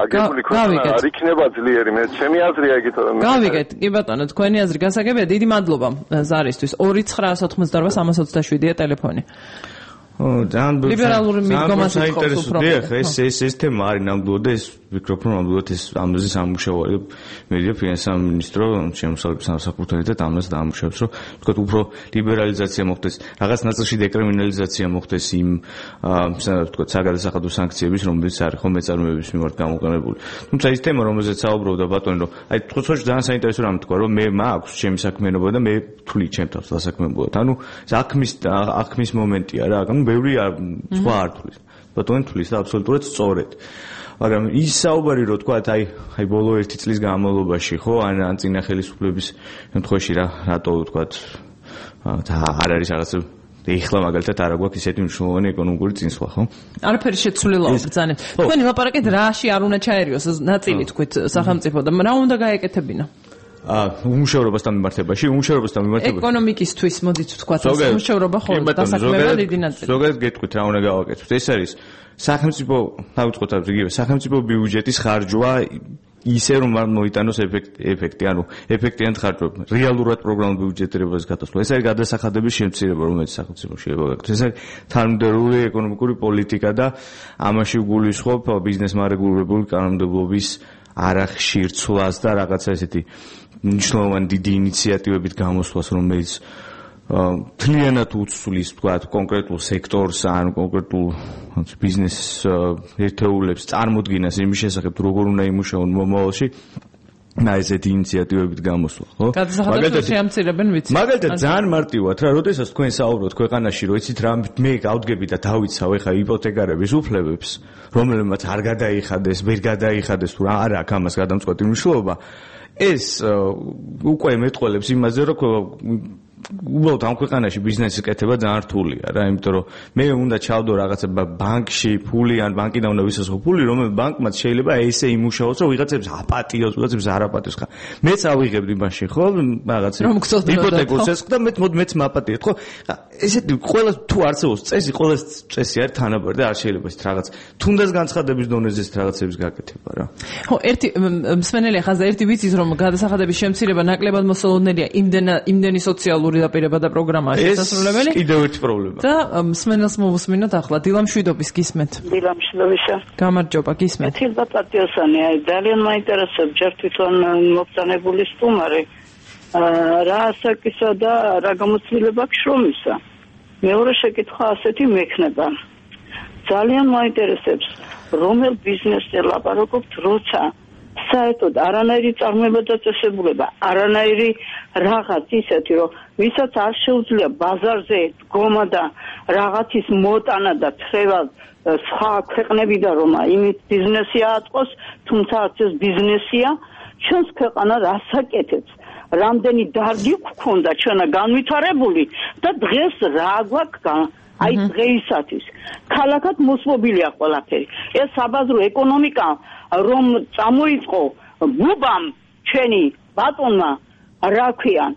აგებული ქვეყანა არ იქნება ძლიერი, მე ჩემი აზრია იგით რომ გავიგეთ, კი ბატონო, თქვენი აზრი გასაგებია, დიდი მადლობა ზარისთვის. ორი ცხრა ოცდაოთხმოცდაოთხ სამას ოცდაშვიდია ტელეფონი. ძალიან ლიბერალური მიდგომას საინტერესო დიახ, ეს ეს ეს თემა არის ნამდვილად და ეს ვფიქრობ რომ ნამდვილად ეს ამაზე სამუშაოა. მედია ფინანსთა მინისტრო შემოსავლების სამსახურთან და ამას დაამუშავებს, რომ თქვათ უფრო ლიბერალიზაცია მოხდეს, რაღაც ნაწილში დეკრიმინალიზაცია მოხდეს იმ თქვათ საგადასახადო სანქციების, რომელიც არის ხომ მეწარმეების მიმართ გამოყენებული. თუმცა ის თემა, რომელზეც საუბრობდა ბატონი, რომ აი თვითონ ძალიან საინტერესო რამ თქვა, რომ მე მაქვს ჩემი საქმიანობა და მე თვლი ჩემ თავს დასაქმებულად. ანუ საქმის საქმის მომენტია რა, ანუ ბევრი სხვა არ თulis. ბატონი თulis და აბსოლუტურად სწორედ. მაგრამ ის საუბარი რო თქვა, აი, აი ბოლო ერთი წლის განმავლობაში, ხო, ან ან წინა ხელისუფლების შემთხვევაში რა, რატო თქვა, და არ არის რაღაცა ეხლა მაგალითად არ აქვს ისეთი მნიშვნელოვანი ეკონომიკური წინსვლა, ხო? არაფერი შეცვლილაო ბრძანეთ. თქვენი ლაპარაკით რაში არ უნდა ჩაერიოს ნაწილი თქვით სახელმწიფო და რა უნდა გაეკეთებინა? აა უმუშევრობასთან მიმართებაში, უმუშევრობასთან მიმართებაში. ეკონომიკისთვის მოდით ვთქვათ, უმუშევრობა ხოლმე დასაქმება დიდი ნაწილი. ზოგადად გეტყვით რა უნდა გავაკეთოთ. ეს არის სახელმწიფო, დავიწყოთ იგივე, სახელმწიფო ბიუჯეტის ხარჯვა ისე რომ არ მოიტანოს ეფექტი, ანუ ეფექტიანად ხარჯვა, რეალურად პროგრამულ ბიუჯეტირებას გათოსვა. ეს არის გადასახადების შემცირება, რომელიც სახელმწიფოში ებაგაკეთებს. ეს არის თანამდებობრივი ეკონომიკური პოლიტიკა და ამაში გულისხმობ ბიზნესმა რეგულირებული კანონმდებლობის არახშირ ცვლას და რაღაცა ესეთი მნიშვნელოვანი დიდი ინიციატივებით გამოსვლას, რომელიც თლიანად უცვლის, თქვათ, კონკრეტულ სექტორს ან კონკრეტულ ბიზნეს ერთეულებს წარმოდგენას იმის შესახებ, როგორ უნდა იმუშაონ მომავალში. და ესეთი ინიციატივებით გამოსვლა, ხო? მაგალითად შეამცირებენ ვიცი. მაგალითად ძალიან მარტივად რა, როდესაც თქვენ საუბრობთ ქვეყანაში, რომ იცით რა, მე გავდგები და დავიცავ ეხა იპოთეკარების უფლებებს, რომელმაც არ გადაიხადეს, ვერ გადაიხადეს თუ რა არ აქვს ამას გადამწყვეტი მნიშვნელობა. ეს უკვე მეტყველებს იმაზე, რომ უბრალოდ ამ ქვეყანაში ბიზნესის კეთება ძალიან რთულია რა, იმიტომ რომ მე უნდა ჩავდო რაღაცა ბანკში ფული ან ბანკიდან უნდა ვისასხო ფული, რომელიც ბანკმაც შეიძლება ესე იმუშაოს, რომ ვიღაცებს აპატიოს, ვიღაცებს არ აპატიოს ხა. მეც ავიღებდი მაშინ, ხო, რაღაცა იპოთეკოს ეს და მე მოდი მეც მაპატიეთ, ხო? ესეთი ყველა თუ არსებობს წესი, ყველა წესი არის თანაბარი და არ შეიძლება ეს რაღაც თუნდაც განცხადების დონეზე ეს რაღაცების გაკეთება რა. ხო, ერთი მსმენელი ახლა ერთი ვიცის რომ გადასახადების შემცირება ნაკლებად მოსალოდნელია იმდენი სოციალური დაპირება და პროგრამაა შესაძლებელი. ეს კიდევ ერთი პრობლემა. და მსმენელს მოვუსმინოთ ახლა დილამშვიდობის გისმენთ. დილამშვიდობისა. გამარჯობა, გისმენთ. თილდა პატიოსანი, აი ძალიან მაინტერესებს ჯერ თვითონ მოგწანებული სტუმარი. რა ასაკისა და რა გამოცდილება აქვს შრომისა. მეორე შეკითხვა ასეთი მექნება. ძალიან მაინტერესებს რომელ ბიზნესზე ლაპარაკობთ, როცა საერთოდ არანაირი წარმოება და წესებულება, არანაირი რაღაც ისეთი, რომ ვისაც არ შეუძლია ბაზარზე დგომა და რაღაცის მოტანა და თხევა სხვა ქვეყნებიდან რომ იმით ბიზნესი აწყოს, თუმცა არც ეს ბიზნესია, ჩვენს ქვეყანა რას აკეთებს? რამდენი დარგი გქონდა ჩვენა განვითარებული და დღეს რა გვაქვს აი დღეისათვის. ქალაქად მოსმობილია ყველაფერი. ეს საბაზრო ეკონომიკა რომ წამოიწყო ბუბამ ჩვენი ბატონმა რა ქვიან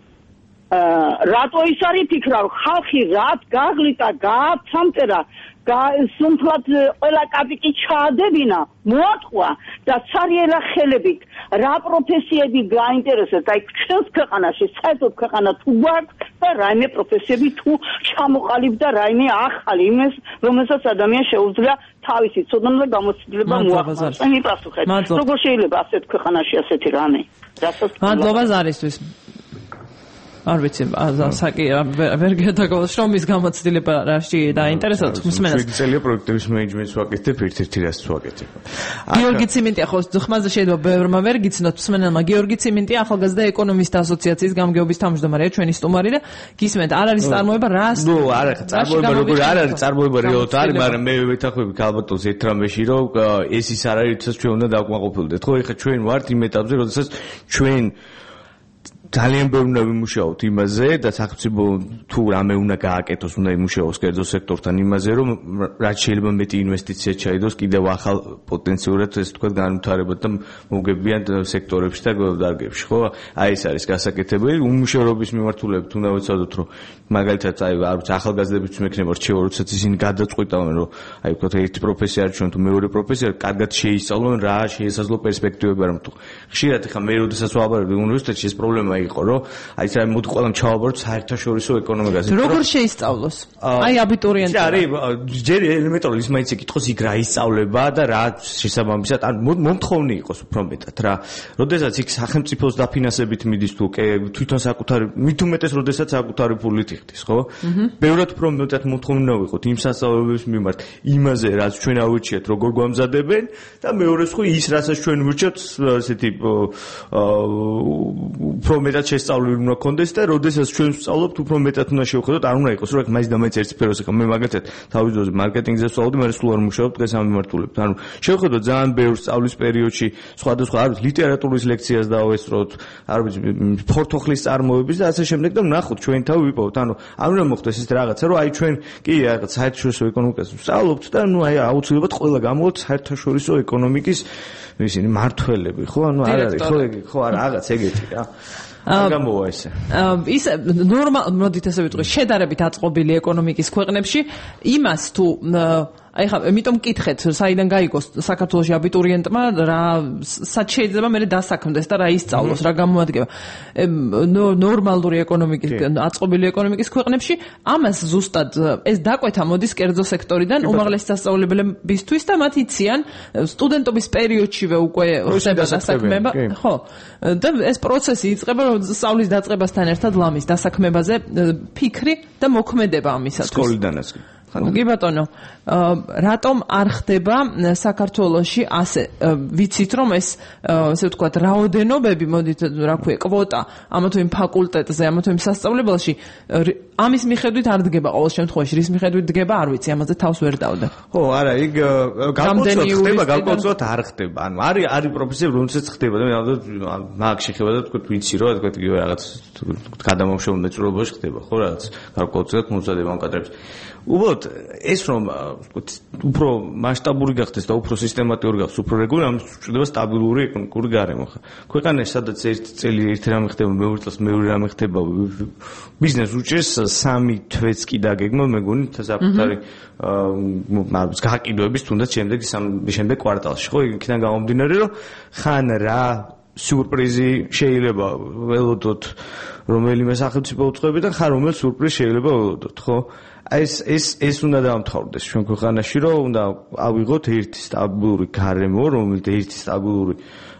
რატო ის არის ფიქრა ხალხი რაც გაღლიტა გააცამტერა სუნთლად ყველა კაპიკი ჩაადებინა, მოატყვა და ცარიელა ხელებით რა პროფესიები გაინტერესებს, აი ჩვენს ქვეყანაში, საერთოდ ქვეყანა თუ გვაქვს და რაიმე პროფესიები თუ ჩამოყალიბდა რაიმე ახალი იმას, რომელსაც ადამიანს შეუძლია თავისი ცოდნა და გამოცდილება მოახდინოს. აი მიპასუხეთ, როგორ შეიძლება ასეთ ქვეყანაში ასეთი რამე? რასაც მადლობა ზარისთვის. არ ვიცი, საკი ვერ გადაგავალ შრომის გამოცდილება რაში დაინტერესებს მსმენელს. შვიდი წელია პროექტების მენეჯმენტს ვაკეთებ, ერთ-ერთი რას ვაკეთებ. გიორგი ციმენტია ხო ხმაზე შეიძლება ბევრმა ვერ გიცნოთ მსმენელმა. გიორგი ციმენტია ახალგაზრდა ეკონომისტთა ასოციაციის გამგეობის თავმჯდომარეა ჩვენი სტუმარია. გისმენთ, არ არის წარმოება რას? ნუ არა, წარმოება როგორ არ არის, წარმოება რეალურად არის, მაგრამ მე ვეთანხმები ქალბატონს ერთ რამეში, რომ ეს ის არ არის, როდესაც ჩვენ უნდა დავკმაყოფილდეთ. ხო, ეხლა ჩვენ ვართ იმ ეტაპზე, როდესაც ჩვენ ძალიან ბევრი უნდა ვიმუშაოთ იმაზე და სახელმწიფო თუ რამე უნდა გააკეთოს, უნდა იმუშაოს კერძო სექტორთან იმაზე, რომ რაც შეიძლება მეტი ინვესტიცია ჩაიდოს კიდევ ახალ პოტენციურად ეს თქვა განვითარებად და მოგებიან სექტორებში და დარგებში, ხო? აი ეს არის გასაკეთებელი. უმუშევრობის მიმართულებით უნდა ვეცადოთ, რომ მაგალითად აი არ ვიცი, ახალგაზრდებიც მექნება რჩევა, როდესაც ისინი გადაწყვიტავენ, რომ აი ვთქვათ ერთი პროფესია არჩევენ თუ მეორე პროფესია, კარგად შეისწავლონ რა შეესაძლო პერსპექტივები არ მთუ. ხშირად ხა მე როდესაც ვაბარებ უნივერსიტეტში ეს პრობლემა იყო, რომ აი ეს მოდი ყველამ ჩავაბაროთ საერთაშორისო ეკონომიკაზე. როგორ შეისწავლოს? აი აბიტურიენტი. არის ჯერ ელემენტარული ის მაინც ეკითხოს იქ რა ისწავლება და რა შესაბამისად ან მომთხოვნი იყოს უფრო მეტად რა. როდესაც იქ სახელმწიფოს დაფინანსებით მიდის თუ თვითონ საკუთარი მით უმეტეს როდესაც საკუთარი ფულით იხდის, ხო? ბევრად უფრო მეტად მომთხოვნი ვიყოთ იმ სასწავლებლების მიმართ, იმაზე რაც ჩვენ ავირჩიეთ, როგორ გვამზადებენ და მეორეს ხო ის რასაც ჩვენ ვირჩევთ, ესეთი უფრო მეტად შესწავლილი უნდა გქონდეს და როდესაც ჩვენ ვსწავლობთ უფრო მეტად უნდა შევხედოთ, არ უნდა იყოს, რომ მაინც და მაინც ერთ სფეროს ახლა მე მაგათად თავის დროზე მარკეტინგზე ვსწავლობდი, მე სულ არ მუშაობ დღეს ამ მიმართულებით. ანუ შევხედოთ ძალიან ბევრ სწავლის პერიოდში სხვადასხვა არ ვიცი ლიტერატურის ლექციას დავესწროთ, არ ვიცი ფორთოხლის წარმოების და ასე შემდეგ და ვნახოთ ჩვენ თავი ვიპოვოთ. ანუ არ უნდა მოხდეს ეს რაღაცა, რომ აი ჩვენ კი რაღაც საერთაშორისო ეკონომიკას ვსწავლობთ და ნუ აი აუცილებლად ყველა გამოვთ საერთაშორისო ეკონომიკის ისინი მართველები, ხო? ანუ არ არის, ხო, ხო, არა, რაღაც ეგეთი რა. გამოვა ესე. ის ნორმალ მოდით ესე ვიტყვი, შედარებით აწყობილი ეკონომიკის ქვეყნებში იმას თუ აი ხა, ამიტომ მკითხეთ, საიდან გაიგოს საქართველოში აბიტურიენტმა რა სად შეიძლება მე დასაქმდეს და რა ისწავლოს, რა გამოადგება. ნორმალური ეკონომიკის, აწყობილი ეკონომიკის ქვეყნებში ამას ზუსტად ეს დაკვეთა მოდის კერძო სექტორიდან უმაღლესი სასწავლებლებისთვის და მათ იციან სტუდენტობის პერიოდშივე უკვე ხდება დასაქმება, ხო? და ეს პროცესი იწყება სწავლის დაწყებასთან ერთად ლამის დასაქმებაზე ფიქრი და მოქმედება ამისათვის. სკოლიდანაც კი. კი ბატონო, რატომ არ ხდება საქართველოში ასე? ვიცით რომ ეს ესე ვთქვათ რაოდენობები, მოდით რა ქვია, კვოტა ამა თუ იმ ფაკულტეტზე, ამა თუ იმ სასწავლებელში ამის მიხედვით არ დგება ყოველ შემთხვევაში, რის მიხედვით დგება, არ ვიცი, ამაზე თავს ვერ დავდე. ხო, არა, იქ გამოცდილ ხდება, გამოცდილ არ ხდება. ანუ არის არის პროფესიები, რომელსაც ხდება და მე მაგ შეხება და თქვა ვიცი რომ თქვა რაღაც გადამამუშავებელი მეწურებაში ხდება, ხო რაღაც გარკვეულწილად მომზადება ამ კადრებს. უბრალოდ ეს რომ უფრო მასშტაბური გახდეს და უფრო სისტემატიური გახდეს, უფრო რეგულარული, ამას ჭირდება სტაბილური ეკონომიკური გარემო. ქვეყანაში სადაც ერთი წელი ერთი რამე ხდება, მეორე წელს მეორე რამე ხდება, ბიზნეს უჭირს სამი თვეც კი დაგეგმო, მეგონი საკუთარი გაყიდვების თუნდაც შემდეგ შემდეგ კვარტალში, ხო, იქიდან გამომდინარე, რომ ხან რა სიურპრიზი შეიძლება ველოდოთ რომელიმე სახელმწიფო უწყებიდან, ხან რომელ სიურპრიზს შეიძლება ველოდოთ, ხო? ეს ეს ეს უნდა დაამთავრდეს ჩვენ ქვეყანაში, რომ უნდა ავიღოთ ერთი სტაბილური გარემო, რომელიც ერთი სტაბილური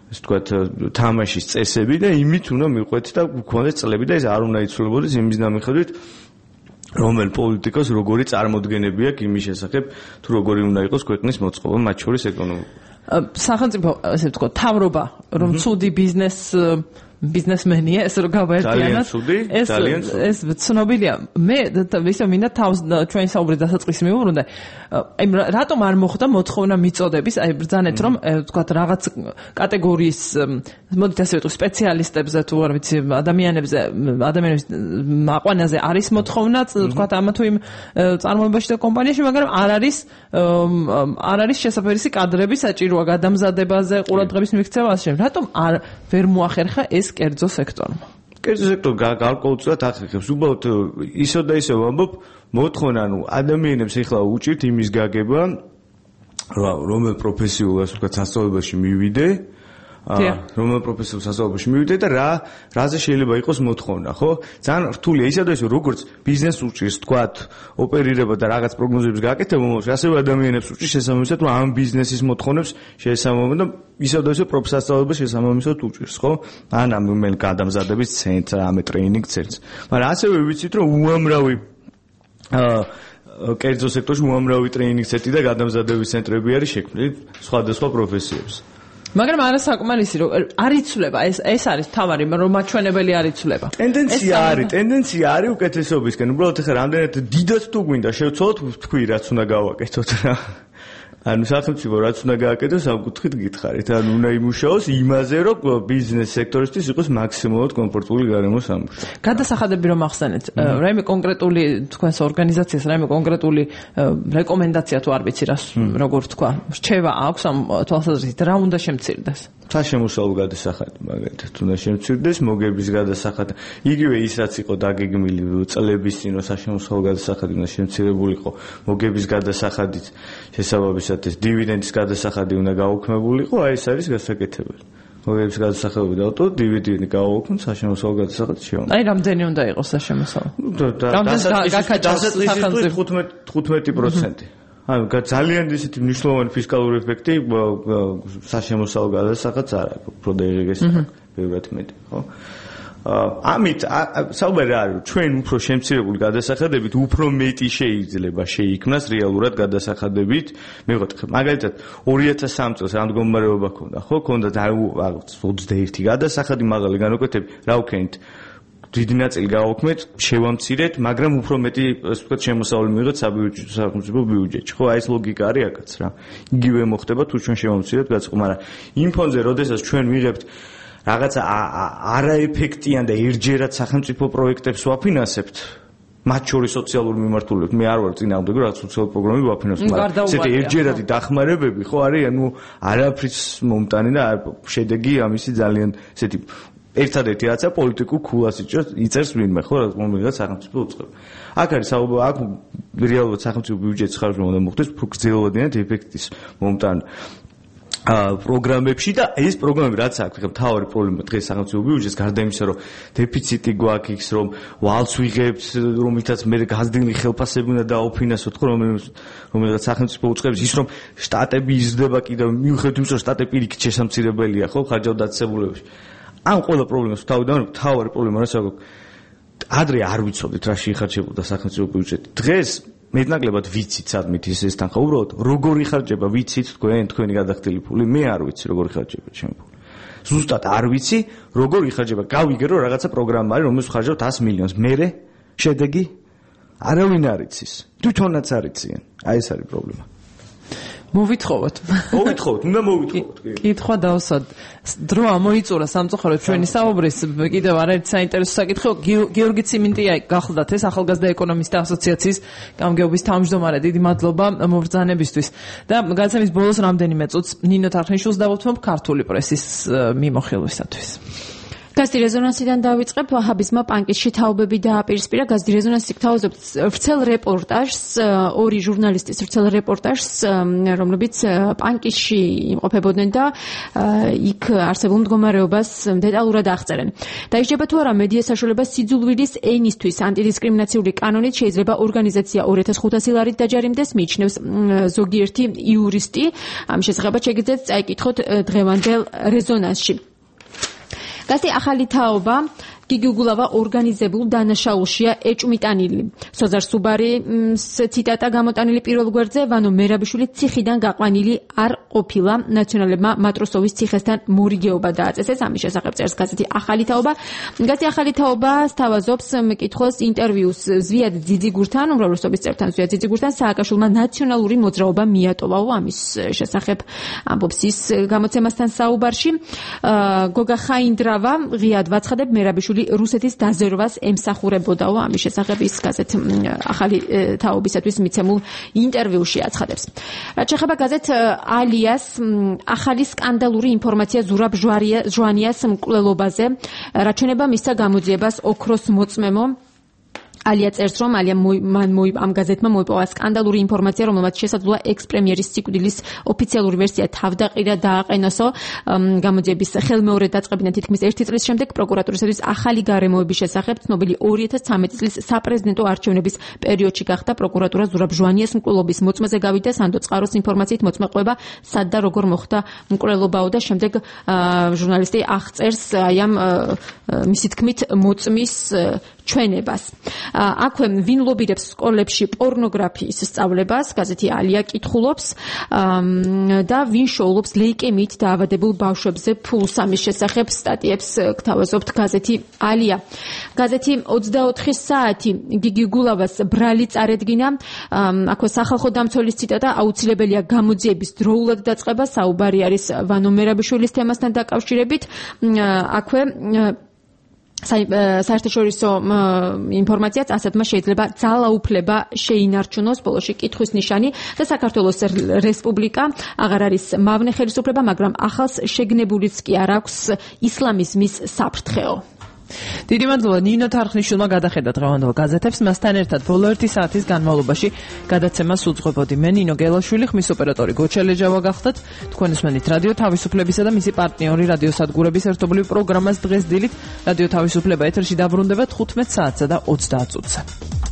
ასე ვთქვათ თამაშის წესები და იმით უნდა მიყვეთ და გქონდეს წლები და ეს არ უნდა იცვლებოდეს იმის დამიხედვით რომელ პოლიტიკოს როგორი წარმოდგენები აქვს იმის შესახებ, თუ როგორი უნდა იყოს ქვეყნის მოწყობა, მათ შორის ეკონომიკა. სახელმწიფო ასე ვთქვათ თავრობა რომ ცუდი ბიზნეს ბიზნესმენია ეს რო გავაერთიანოთ ეს ეს ცნობილია მე ისე მინდა თავს ჩვენი საუბრის დასაწყისი მივუბრუნდე აი რატომ არ მოხდა მოთხოვნა მიწოდების აი ბრძანეთ რომ ვთქვათ რაღაც კატეგორიის მოდით ასე ვიტყვი სპეციალისტებზე თუ არ ვიცი ადამიანებზე ადამიანების აყვანაზე არის მოთხოვნა ვთქვათ ამა თუ იმ წარმოებაში და კომპანიაში მაგრამ არ არის არ არის შესაძლებელი კადრების საჭიროა გადამზადებაზე ყურადღების მიქცევაზე რატომ არ ვერ მოახერხა ეს კერძო სექტორმა. კერძო სექტორი გარკვეულწილად ახერხებს. უბრალოდ ისო და ისე ვამბობ, მოთხოვნა, ანუ ადამიანებს ეხლა უჭირთ იმის გაგება, რომელ პროფესიულ ასე ვთქვათ სასწავლებელში მივიდე, რომელ პროფესიულ სასწავლებელში მივიდე და რა რაზე შეიძლება იყოს მოთხოვნა, ხო? ძალიან რთულია ისე და ისე როგორც ბიზნესს უჭირს თქვათ ოპერირება და რაღაც პროგნოზების გაკეთება, მომავალში ასევე ადამიანებს უჭირს შესაბამისად, რომ ამ ბიზნესის მოთხოვნებს შესაბამისად და ისე და ისე პროფესიასწავლებას შესაბამისად უჭირს, ხო? ან ამ მენ გადამზადების ცენტრს, ამ ტრეინინგ ცენტრს. მაგრამ ასევე ვიცით, რომ უამრავი აა კერძო სექტორში უამრავი ტრეინინგ ცენტრი და გადამზადების ცენტრები არის შექმნილი სხვადასხვა პროფესიებს. მაგრამ არასაკმარისი რომ არ იცვლება ეს ეს არის თავარი რომ მაჩვენებელი არ იცვლება. ტენდენცია არის, ტენდენცია არის უკეთესობისკენ. უბრალოდ ახლა რამდენად დიდად თუ გვინდა შევცვალოთ თქვი რაც უნდა გავაკეთოთ რა. ანუ სახელმწიფო რაც უნდა გააკეთოს ამ კუთხით გითხარით. ანუ უნდა იმუშაოს იმაზე რომ ბიზნეს სექტორისთვის იყოს მაქსიმალურად კომფორტული გარემო სამუშაო. გადასახადები რომ ახსენეთ, რაიმე კონკრეტული თქვენს ორგანიზაციას რაიმე კონკრეტული რეკომენდაცია თუ არ ვიცი რას როგორ თქვა, რჩევა აქვს ამ თვალსაზრისით რა უნდა შემცირდეს? საშემოსავლო გადასახადი მაგალითად უნდა შემცირდეს, მოგების გადასახადი. იგივე ის რაც იყო დაგეგმილი წლების წინ რომ საშემოსავლო გადასახადი უნდა შემცირებულიყო, მოგების გადასახადით შესაბამისად ეს დივიდენდის გადასახადი უნდა გაუქმებულიყო, აი ეს არის გასაკეთებელი. მოგების გადასახადი დავტო, დივიდენდი გავაუქმოთ, საშემოსავლო გადასახადი შევამოწმოთ. აი რამდენი უნდა იყოს საშემოსავლო? დასაწყისისთვის თხუთმეტი პროცენტი. ანუ ძალიან ისეთი მნიშვნელოვანი ფისკალური ეფექტი საშემოსავლო გადასახადს არ აქვს, უფრო დაიღეს ბევრად მეტი, ხო? ამით საუბარი არის რომ ჩვენ უფრო შემცირებული გადასახადებით უფრო მეტი შეიძლება შეიქმნას რეალურად გადასახადებით. მივიღოთ მაგალითად ორი ათას სამი წელს რა მდგომარეობა ქონდა, ხო? ქონდა ოცდაერთი გადასახადი მაღალი განაკვეთები, რა ვქენით? დიდი ნაწილი გავაუქმეთ, შევამცირეთ, მაგრამ უფრო მეტი ასე ვთქვათ შემოსავალი მივიღეთ საბიუჯეტო სახელმწიფო ბიუჯეტში. ხო, აი ეს ლოგიკა არის აქაც რა. იგივე მოხდება თუ ჩვენ შევამცირეთ გაწყო, მაგრამ იმ ფონზე როდესაც ჩვენ ვიღებთ რაღაცა არაეფექტიან და ერთჯერად სახელმწიფო პროექტებს ვაფინანსებთ, მათ შორის სოციალური მიმართულებით. მე არ ვარ წინააღმდეგ, რომ სოციალური პროგრამები ვაფინანსებთ, მაგრამ ესეთი ერთჯერადი დახმარებები, ხო, არის ანუ არაფრის მომტანი და შედეგი ამისი ძალიან ესეთი ერთადერთი რაცა პოლიტიკურ ქულას იწერს ვინმე, ხო, რომელიღაც სახელმწიფო უწყება. აქ არის საუბარი, აქ რეალურად სახელმწიფო ბიუჯეტის ხარჯვა უნდა მოხდეს უფრო გრძელვადიან ეფექტის მომტანი პროგრამებში და ეს პროგრამები რაც აქვს, ხა მთავარი პრობლემა დღეს სახელმწიფო ბიუჯეტს გარდა იმისა, რომ დეფიციტი გვაქვს იქ, რომ ვალს ვიღებთ, რომლითაც მე გაზრდილი ხელფასები უნდა დაუფინანსოთ, ხო, რომელიღაც სახელმწიფო უწყებს ის, რომ შტატები იზრდება კიდევ მიუხედავად იმისა, რომ შტატები პირიქით შესამცირებელია, ხო, ხარჯავდაცებულებაში. ამ ყველა პრობლემას თავიდან მთავარი პრობლემა რაც აქვს, ადრე არ ვიცოდით რაში იხარჯებოდა სახელმწიფო ბიუჯეტი. დღეს მეტნაკლებად ვიცით სადმით ის ეს თანხა, უბრალოდ როგორ იხარჯება ვიცით თქვენ, თქვენი გადახდილი ფული, მე არ ვიცი როგორ იხარჯება ჩემი ფული. ზუსტად არ ვიცი როგორ იხარჯება. გავიგე რომ რაღაცა პროგრამა არის, რომელსაც ვხარჯავთ ათს მილიონს. მერე შედეგი არავინ არ იცის. თვითონაც არ იციან. აი ეს არის პრობლემა. მოვითხოვოთ. მოვითხოვოთ, უნდა მოვითხოვოთ. კითხვა დავსვათ. დრო ამოიწურა სამწუხაროდ ჩვენი საუბრის კიდევ არაერთი საინტერესო საკითხი. გიორგი ციმინტია გახლდათ ეს ახალგაზრდა ეკონომისტთა ასოციაციის გამგეობის თავმჯდომარე. დიდი მადლობა მობრძანებისთვის. და გადაცემის ბოლოს რამდენიმე წუთს ნინო თარხნიშვილს დავუთმობ ქართული პრესის მიმოხილვისათვის. გაზეთი რეზონანსიდან დავიწყებ. ვაჰაბიზმმა პანკისში თაობები დააპირისპირა. გაზეთი რეზონანსი გთავაზობთ ვრცელ რეპორტაჟს, ორი ჟურნალისტის ვრცელ რეპორტაჟს, რომლებიც პანკისში იმყოფებოდნენ და იქ არსებულ მდგომარეობას დეტალურად აღწერენ. დაიჯება თუ არა მედია საშუალება სიძულვილის ენისთვის ანტიდისკრიმინაციული კანონით შეიძლება ორგანიზაცია ორი ათას ხუთასი ლარით დაჯარიმდეს, მიიჩნევს ზოგიერთი იურისტი. ამ შესახებაც შეგიძლიათ წაიკითხოთ დღევანდელ რეზონანსში. გაზეთი ახალი თაობა გიგი უგულავა ორგანიზებულ დანაშაულშია ეჭვმიტანილი. სოზარ სუბარის ციტატა გამოტანილი პირველ გვერდზე, ვანო მერაბიშვილი ციხიდან გაყვანილი არ ყოფილა, ნაციონალებმა მატროსოვის ციხესთან მორიგეობა დააწესეს. ამის შესახებ წერს გაზეთი ახალი თაობა. გაზეთი ახალი თაობა სთავაზობს მკითხოს ინტერვიუს ზვიად ძიძიგურთან, უმრავლესობის წევრთან ზვიად ძიძიგურთან, სააკაშვილმა ნაციონალური მოძრაობა მიატოვა. ამის შესახებ ამბობს ის გამოცემასთან საუბარში. გოგა ხაინდრავა ღიად ვაცხადებ მერაბიშვილი სააკაშვილი რუსეთის დაზერვას ემსახურებოდაო. ამის შესახებ ის გაზეთ ახალი თაობისათვის მიცემულ ინტერვიუში აცხადებს. რაც შეეხება გაზეთ ალიას ახალი სკანდალური ინფორმაცია ზურაბ ჟვანიას მკვლელობაზე, რაც შეეხება მისცა გამოძიებას ოქროს მოწმემო. ალია წერს, რომ ალია მან ამ გაზეთმა მოიპოვა სკანდალური ინფორმაცია, რომელმაც შესაძლოა ექს-პრემიერის სიკვდილის ოფიციალური ვერსია თავდაყირა დააყენოსო. გამოძიების ხელმეორედ დაწყებინა თითქმის ერთი წლის შემდეგ პროკურატურისათვის ახალი გარემოების შესახებ ცნობილი ორი ათას ცხრამეტი წლის საპრეზიდენტო არჩევნების პერიოდში გახდა პროკურატურა ზურაბ ჟვანიას მკვლელობის მოწმეზე გავიდა. სანდო წყაროს ინფორმაციით მოწმეყვება სად და როგორ მოხდა მკვლელობაო და შემდეგ ჟურნალისტი აღწერს აი ამ მისი თქმით მოწმის ჩვენებას. აქვე ვინ ლობირებს სკოლებში პორნოგრაფიის სწავლებას, გაზეთი ალია კითხულობს და ვინ შოულობს ლეიკემიით დაავადებულ ბავშვებზე ფულს. ამის შესახებ სტატიებს გთავაზობთ გაზეთი ალია. გაზეთი ოცდაოთხი საათი გიგი გულავას ბრალი წარედგინა. აქვე სახალხო დამცველის ციტატა, აუცილებელია გამოძიების დროულად დაწყება. საუბარი არის ვანო მერაბიშვილის თემასთან დაკავშირებით. აქვე საერთაშორისო ინფორმაციაც ასეთმა შეიძლება ძალაუფლება შეინარჩუნოს. ბოლოში კითხვის ნიშანი და საქართველოს რესპუბლიკა აღარ არის მავნე ხელისუფლება, მაგრამ ახალს შეგნებულიც კი არ აქვს ისლამიზმის საფრთხეო. დიდი მადლობა ნინო თარხნიშვილმა გადახედა დღევანდელ გაზეთებს. მასთან ერთად ბოლო ერთი საათის განმავლობაში გადაცემას უძღვებოდი მე ნინო გელაშვილი, ხმის ოპერატორი გოჩელეჯავა გახდათ. თქვენ უსმენთ რადიო თავისუფლებისა და მისი პარტნიორი რადიოსადგურების ერთობლივ პროგრამას დღეს დილით. რადიო თავისუფლება ეთერში დაბრუნდება თხუთმეტ საათსა და ოცდაათ წუთზე.